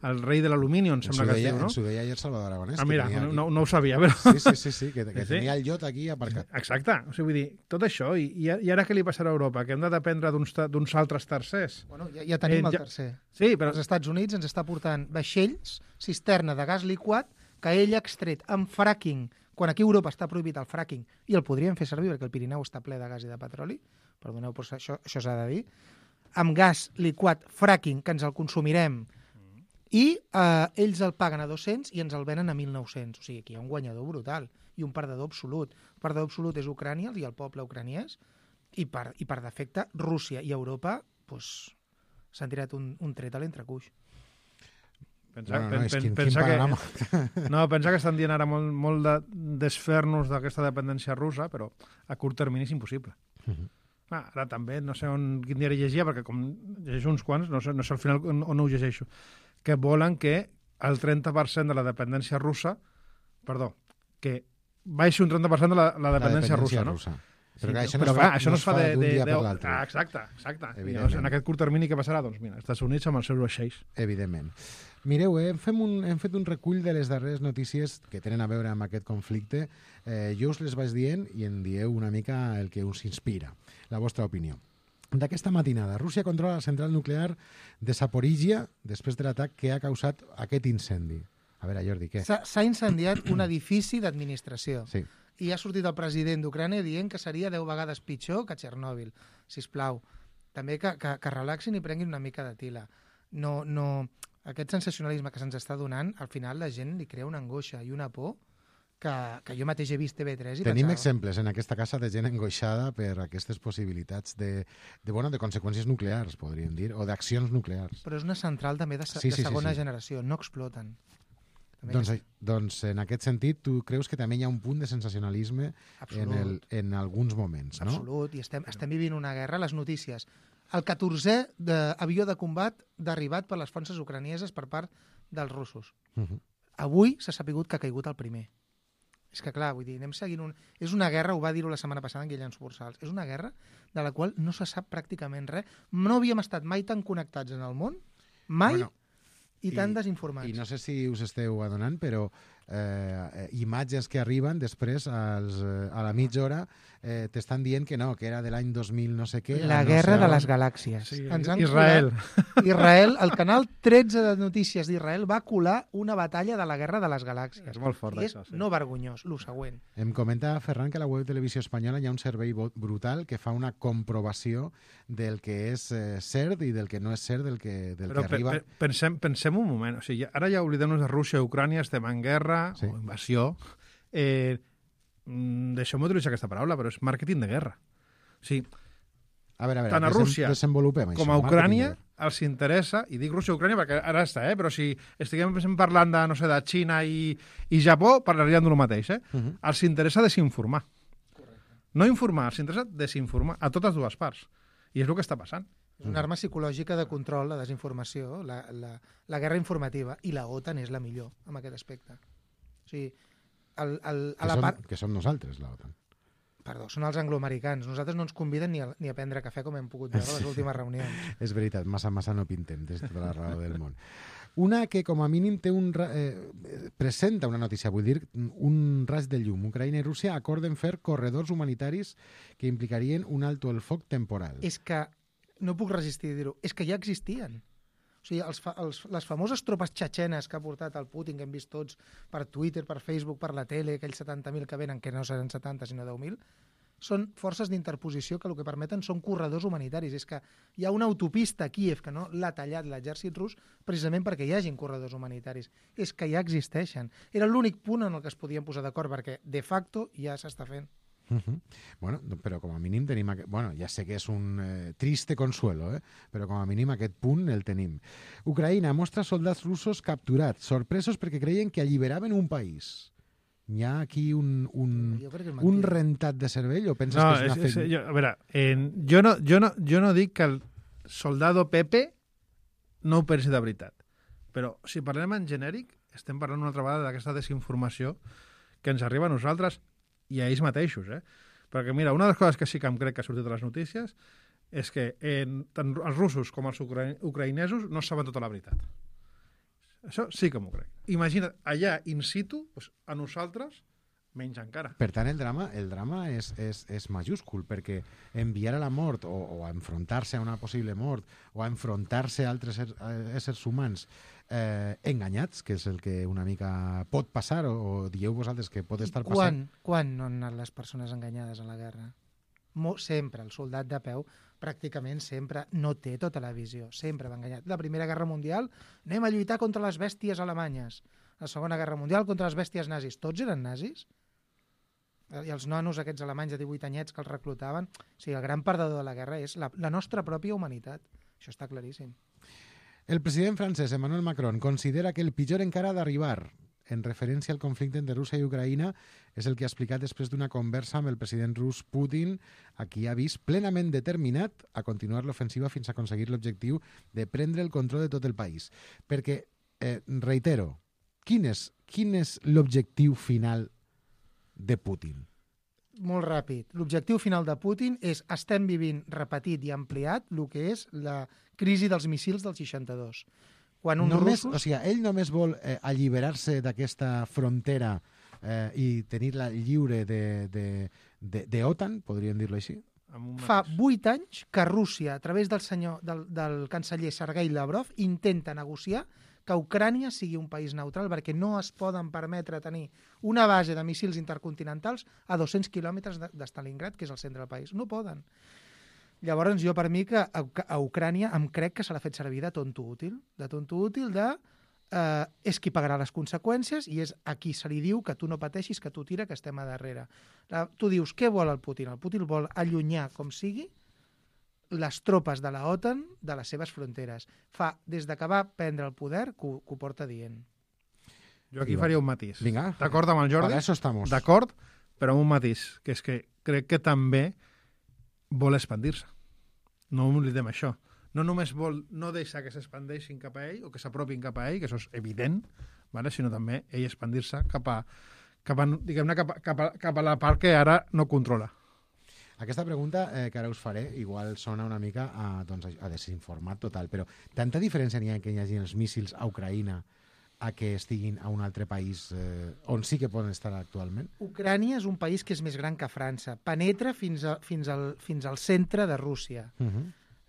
el rei de l'alumini, em sembla que es diu, no? Ens ho deia ayer Salvador Aragonès. Mira, no ho sabia, però... Sí, que tenia el iot aquí aparcat. Exacte, o sigui, vull dir, tot això, i ara què li passarà a Europa? Que hem de dependre d'uns altres tercers? Bueno, ja tenim el tercer. Sí, però... Els Estats Units ens està portant vaixells, cisterna de gas liquat, que ell ha extret amb fracking, quan aquí a Europa està prohibit el fracking, i el podríem fer servir perquè el Pirineu està ple de gas i de petroli, perdoneu, però això s'ha de dir, amb gas liquat fracking, que ens el consumirem, i ells el paguen a 200 i ens el venen a 1.900. O sigui, aquí hi ha un guanyador brutal i un perdedor absolut. El perdedor absolut és Ucrània i el poble ucraniès, i per defecte Rússia i Europa s'han tirat un tret a l'entrecuix. Pensa que estan dient ara molt de desfer-nos d'aquesta dependència russa, però a curt termini és impossible. Ara també, no sé quin diari llegia, perquè com llegeixo uns quants, no sé al final on ho llegeixo, que volen que el 30% de la dependència russa, que baixi un 30% de la dependència russa, no? Però això no es fa d'un dia per l'altre. Exacte. En aquest curt termini què passarà? Doncs mira, els Estats Units amb els seus vaixells. Evidentment. Mireu, hem fet un recull de les darreres notícies que tenen a veure amb aquest conflicte. Jo us les vaig dient i en dieu una mica el que us inspira, la vostra opinió. D'aquesta matinada, Rússia controla la central nuclear de Zaporizhia després de l'atac que ha causat aquest incendi. A veure, Jordi, què? S'ha incendiat un edifici d'administració. Sí. I ha sortit el president d'Ucrània dient que seria 10 vegades pitjor que Txernòbil. Sisplau, també que relaxin i prenguin una mica de tila. No, aquest sensacionalisme que se'ns està donant, al final la gent li crea una angoixa i una por que jo mateix he vist TV3 i Tenim pensava... exemples en aquesta casa de gent angoixada per aquestes possibilitats de conseqüències nuclears, podríem dir, o d'accions nuclears. Però és una central també de segona generació, no exploten. Doncs en aquest sentit, tu creus que també hi ha un punt de sensacionalisme en alguns moments, no? Absolut, i estem vivint una guerra. Les notícies. El 14è avió de combat derribat per les forces ucranieses per part dels russos. Avui s'ha sapigut que ha caigut el primer. És que, clar, vull dir, anem seguint És una guerra, ho va dir-ho la setmana passada en Guillem Subursals, és una guerra de la qual no se sap pràcticament res. No havíem estat mai tan connectats en el món, mai, i tan desinformats. I no sé si us esteu adonant, però imatges que arriben després a la mitja hora t'estan dient que no, que era de l'any 2000 no sé què. La guerra de les galàxies. Sí, Israel. Israel, el canal 13 de notícies d'Israel va colar una batalla de la guerra de les galàxies. És molt fort, això. És no vergonyós, lo següent. Em comenta Ferran que a la web Televisió Espanyola hi ha un servei brutal que fa una comprovació del que és cert i del que no és cert, del que arriba... Pensem un moment. O sigui, ara ja oblidem-nos de Rússia i Ucrània, estem en guerra o invasió. Deixeu-me utilitzar aquesta paraula, però és màrqueting de guerra. O sigui, tant a Rússia com a Ucrània els interessa, i dic Rússia i Ucrània perquè ara està, però si estiguem parlant de, no sé, de Xina i Japó, parlaríem del mateix. Els interessa desinformar. No informar, els interessa desinformar a totes dues parts. I és el que està passant. És una arma psicològica de control, la desinformació, la guerra informativa, i la OTAN és la millor en aquest aspecte. O sigui, que som nosaltres, la OTAN. Perdó, són els angloamericans. Nosaltres no ens conviden ni a prendre cafè com hem pogut veure a les últimes reunions. És veritat, massa no pintem, des de tota la raó del món. Una que, com a mínim, presenta una notícia, vull dir, un raig de llum. Ucraïna i Rússia acorden fer corredors humanitaris que implicarien un alto el foc temporal. És que, no puc resistir a dir-ho, és que ja existien. O sigui, les famoses tropes txetxenes que ha portat el Putin, que hem vist tots per Twitter, per Facebook, per la tele, aquells 70.000 que venen, que no seran 70 sinó 10.000, són forces d'interposició que el que permeten són corredors humanitaris. És que hi ha una autopista a Kíev que no l'ha tallat l'exèrcit rus precisament perquè hi hagin corredors humanitaris. És que ja existeixen. Era l'únic punt en el que es podien posar d'acord perquè, de facto, ja s'està fent. Bueno, però com a mínim tenim... Bueno, ja sé que és un triste consuelo, però com a mínim aquest punt el tenim. Ucraïna mostra soldats russos capturats, sorpresos perquè creien que alliberaven un país. Hi ha aquí un rentat de cervell o penses que és una feina? A veure, jo no dic que el soldado Pepe no ho pensi de veritat, però si parlem en genèric, estem parlant una altra vegada d'aquesta desinformació que ens arriba a nosaltres i a ells mateixos, Perquè, mira, una de les coses que sí que em crec que ha sortit a les notícies és que tant els russos com els ucraïnesos no saben tota la veritat. Això sí que m'ho crec. Imagina't, allà in situ, doncs, a nosaltres, menys encara. Per tant, el drama és majúscul, perquè enviar a la mort o a enfrontar-se a una possible mort o a enfrontar-se a altres éssers humans enganyats, que és el que una mica pot passar, o dieu vosaltres que pot estar passant. Quan no han anat les persones enganyades a la guerra? Sempre, el soldat de peu pràcticament sempre no té tota la visió, sempre va enganyat. La Primera Guerra Mundial, anem a lluitar contra les bèsties alemanyes. La Segona Guerra Mundial contra les bèsties nazis. Tots eren nazis? I els nanos aquests alemanys de 18 anyets que els reclutaven. O sigui, el gran perdedor de la guerra és la nostra pròpia humanitat. Això està claríssim. El president francès Emmanuel Macron considera que el pitjor encara ha d'arribar. En referència al conflicte entre Rússia i Ucraïna, és el que ha explicat després d'una conversa amb el president rus Putin, a qui ha vist plenament determinat a continuar l'ofensiva fins a aconseguir l'objectiu de prendre el control de tot el país. Perquè, reitero, quin és l'objectiu final de Putin? Molt ràpid. L'objectiu final de Putin és estem vivint repetit i ampliat el que és la crisi dels missils del 62. Quan O sigui, ell només vol alliberar-se d'aquesta frontera i tenir-la lliure d'OTAN, podríem dir-lo així? Fa 8 anys que Rússia, a través del canceller Sergei Lavrov, intenta negociar que Ucrània sigui un país neutral perquè no es poden permetre tenir una base de míssils intercontinentals a 200 quilòmetres de Stalingrad, que és el centre del país. No poden. Llavors, jo per mi que a Ucrània em crec que se l'ha fet servir de tonto útil. És qui pagarà les conseqüències i és a qui se li diu que tu no pateixis, que tu tira, que estem a darrere. Tu dius, què vol el Putin? El Putin vol allunyar, com sigui, les tropes de la OTAN de les seves fronteres. Des que va prendre el poder, que ho porta dient. Jo aquí faria un matís. Vinga. D'acord amb el Jordi? Para eso estamos. D'acord, però amb un matís, que és que crec que també vol expandir-se. No oblidem això. No només vol no deixar que s'expandeixin cap a ell o que s'apropin cap a ell, que això és evident, sinó també ell expandir-se cap a la part que ara no controla. Aquesta pregunta que ara us faré igual sona una mica a desinformat total, però tanta diferència n'hi ha que hi hagi els míssils a Ucraïna a que estiguin a un altre país on sí que poden estar actualment? Ucrània és un país que és més gran que França. Penetra fins al centre de Rússia.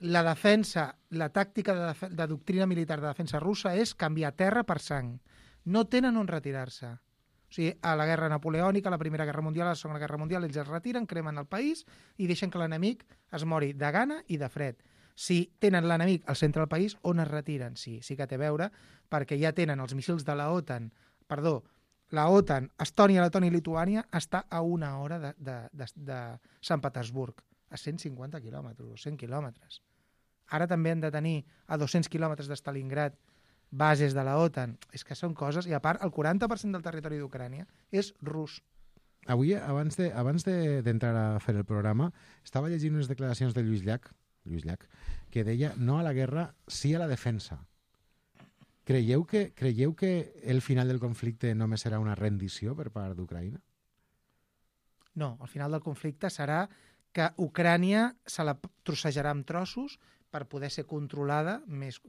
La defensa, la tàctica de doctrina militar de defensa russa és canviar terra per sang. No tenen on retirar-se. O sigui, a la guerra napoleònica, a la Primera Guerra Mundial, a la Segona Guerra Mundial, ells es retiren, cremen el país i deixen que l'enemic es mori de gana i de fred. Si tenen l'enemic al centre del país, on es retiren? Sí que té a veure, perquè ja tenen els míssils de la OTAN. La OTAN, Estònia, Letònia i Lituània està a 1 hora de Sant Petersburg, a 150 quilòmetres, 100 quilòmetres. Ara també han de tenir a 200 quilòmetres de Stalingrad bases de la OTAN. És que són coses... I a part, el 40% del territori d'Ucrània és rus. Avui, abans d'entrar a fer el programa, estava llegint unes declaracions de Lluís Llach, que deia no a la guerra, sí a la defensa. Creieu que el final del conflicte només serà una rendició per part d'Ucraïna? No, el final del conflicte serà que Ucrània se la trossejarà en trossos per poder ser controlada més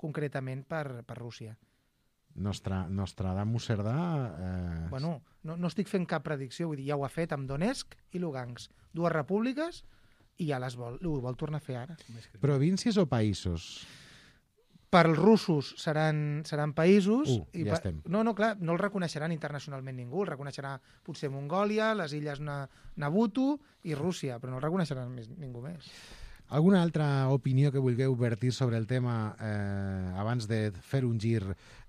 concretament per Rússia. Nostradamus Cerdà... Bueno, no estic fent cap predicció, vull dir, ja ho ha fet amb Donetsk i Lugansk, 2 repúbliques, i ja ho vol tornar a fer ara. Províncies o països? Per als russos seran països... Ja estem. No, clar, no el reconeixeran internacionalment ningú, el reconeixerà potser Mongòlia, les illes Nabutu i Rússia, però no el reconeixeran ningú més. Alguna altra opinió que vulgueu vertir sobre el tema abans de fer un gir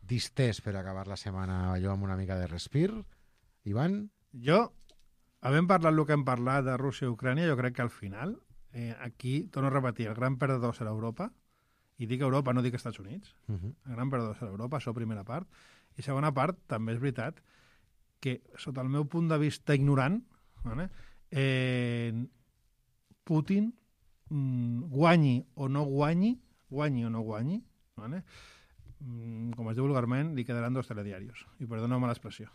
distès per acabar la setmana allò amb una mica de respir? Ivan? Jo, havent parlat el que hem parlat de Rússia i Ucrània, jo crec que al final, aquí, torno a repetir, el gran perdedor serà Europa, i dic Europa, no dic Estats Units, el gran perdedor serà Europa, això primera part, i segona part, també és veritat que, sota el meu punt de vista ignorant, vale, Putin guanyi o no guanyi, vale? Com es diu vulgarment, li quedaran 2 telediaris. I perdoneu-me l'expressió.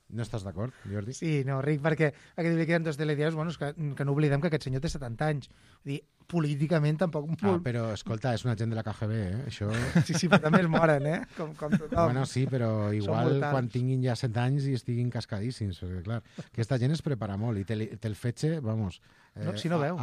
No estàs d'acord, Jordi? Sí, no, Ric, perquè li queden 2 telediaris, bueno, és que no oblidem que aquest senyor té 70 anys. Vull dir, políticament tampoc... però, escolta, és un agent de la KGB, Això... Sí, però també es moren, Com tothom. Bueno, sí, però igual quan tinguin ja 7 anys i estiguin cascadíssims, perquè, clar, aquesta gent es prepara molt i te'l fetge, vamos... si no veu.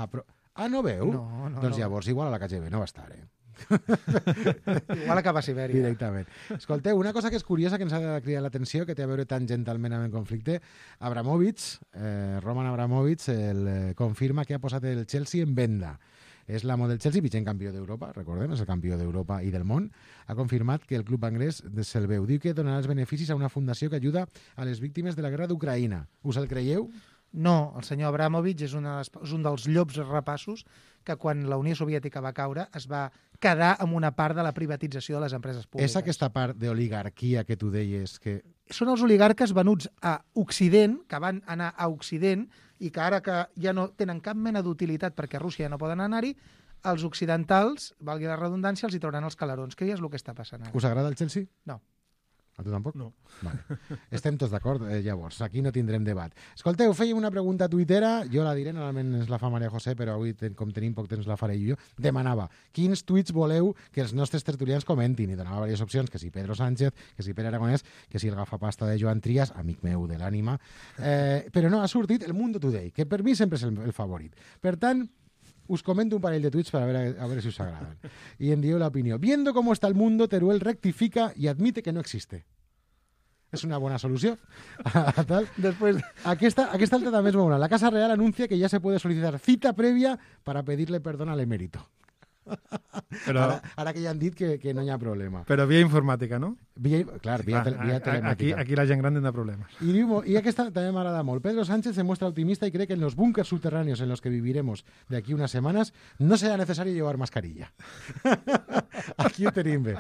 No veu? No, doncs llavors igual a la KGB no va estar, Igual acaba a Sibèria. Directament. Escolteu, una cosa que és curiosa, que ens ha de cridar l'atenció, que té a veure tangentalment amb el conflicte, Roman Abramovich, confirma que ha posat el Chelsea en venda. És l'amo del Chelsea, vigent campió d'Europa, recordem, és el campió d'Europa i del món. Ha confirmat que el club anglès se'l veu. Diu que donarà els beneficis a una fundació que ajuda a les víctimes de la guerra d'Ucraïna. Us el creieu? No, el senyor Abramovich és un dels llops rapassos que quan la Unió Soviètica va caure es va quedar amb una part de la privatització de les empreses públiques. És aquesta part d'oligarquia que tu deies que... Són els oligarques venuts a Occident, que van anar a Occident i que ara que ja no tenen cap mena d'utilitat perquè a Rússia ja no poden anar-hi, els occidentals, valgui la redundància, els hi trauran els calarons, que ja és el que està passant ara. Us agrada el Chelsea? No. A tu tampoc? No. Vale. Estem tots d'acord, llavors. Aquí no tindrem debat. Escolteu, fèiem una pregunta tuitera, jo la diré, normalment ens la fa Maria José, però avui, com tenim poc temps, la faré jo. Demanava, quins tuits voleu que els nostres tertulians comentin? I donava diverses opcions, que si Pedro Sánchez, que si Pere Aragonès, que si el gafapasta de Joan Trias, amic meu de l'ànima. Però no, ha sortit el Mundo Today, que per mi sempre és el favorit. Per tant, us comento un parell de tuits para ver a ver si os agradan. Y en dio la opinión. Viendo cómo está el mundo, Teruel rectifica y admite que no existe. És una bona solució. Después... Aquesta altra també és bona. La Casa Real anuncia que ya se puede solicitar cita previa para pedirle perdón al emérito. Però... Ara que ja han dit que no hi ha problema. Però via informàtica, no? Via telemàtica. Aquí la gent gran tindrà problemes. Y aquesta també m'agrada molt. Pedro Sánchez se muestra optimista y cree que en los búnkers subterráneos en los que viviremos de aquí unas semanas no será necesario llevar mascarilla. Aquí ho tenim bé.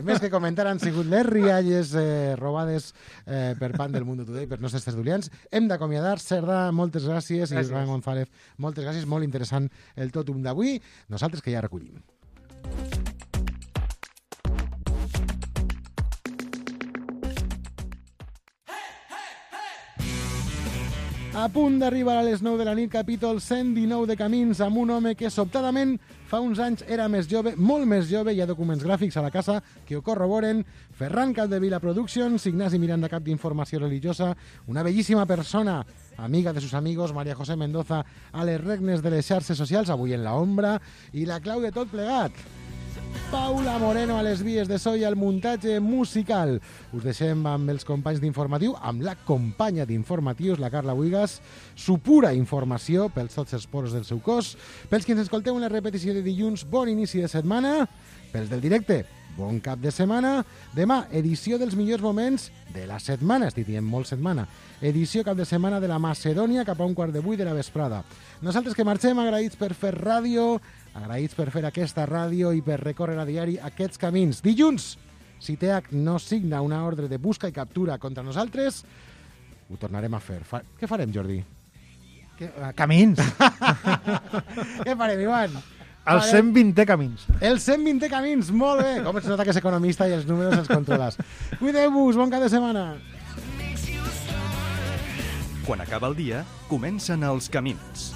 Més que comentar han sigut les rialles robades per part del Mundo Today per nostres tertulians. Hem d'acomiadar. Cerdà, moltes gràcies. I Joan González, moltes gràcies. Molt interessant el tòtum d'avui. Nosaltres que ja recollim. A punt d'arribar a les 9 de la nit, capítol 119 de Camins, amb un home que sobtadament fa uns anys era més jove, molt més jove. Hi ha documents gràfics a la casa que ho corroboren. Ferran Capdevila Productions, Ignasi Miranda, cap d'informació religiosa, una bellíssima persona, amiga de sus amigos, María José Mendoza, a les regnes de les xarxes socials, avui en la ombra, i la clau de tot plegat, Paula Moreno a les vies de so i al muntatge musical. Us deixem amb els companys d'Informatiu, amb la companya d'Informatius, la Carla Buigas, su pura informació pels tots els poros del seu cos. Pels que ens escolteu en la repetició de dilluns, bon inici de setmana. Pels del directe, bon cap de setmana. Demà, edició dels millors moments de la setmana, estic dient molt setmana. Edició cap de setmana de la Macedònia cap a 7:45 de la vesprada. Nosaltres que marxem agraïts per fer ràdio, agraïts per fer aquesta ràdio i per recórrer a diari aquests camins. Dilluns, si TH no signa una ordre de busca i captura contra nosaltres, ho tornarem a fer. Què farem, Jordi? Camins. Què farem, Ivan? El 120è camins. El 120è camins, molt bé. Com es nota que és economista i els números els controles. Cuideu-vos, bon cap de setmana. Quan acaba el dia, comencen els camins.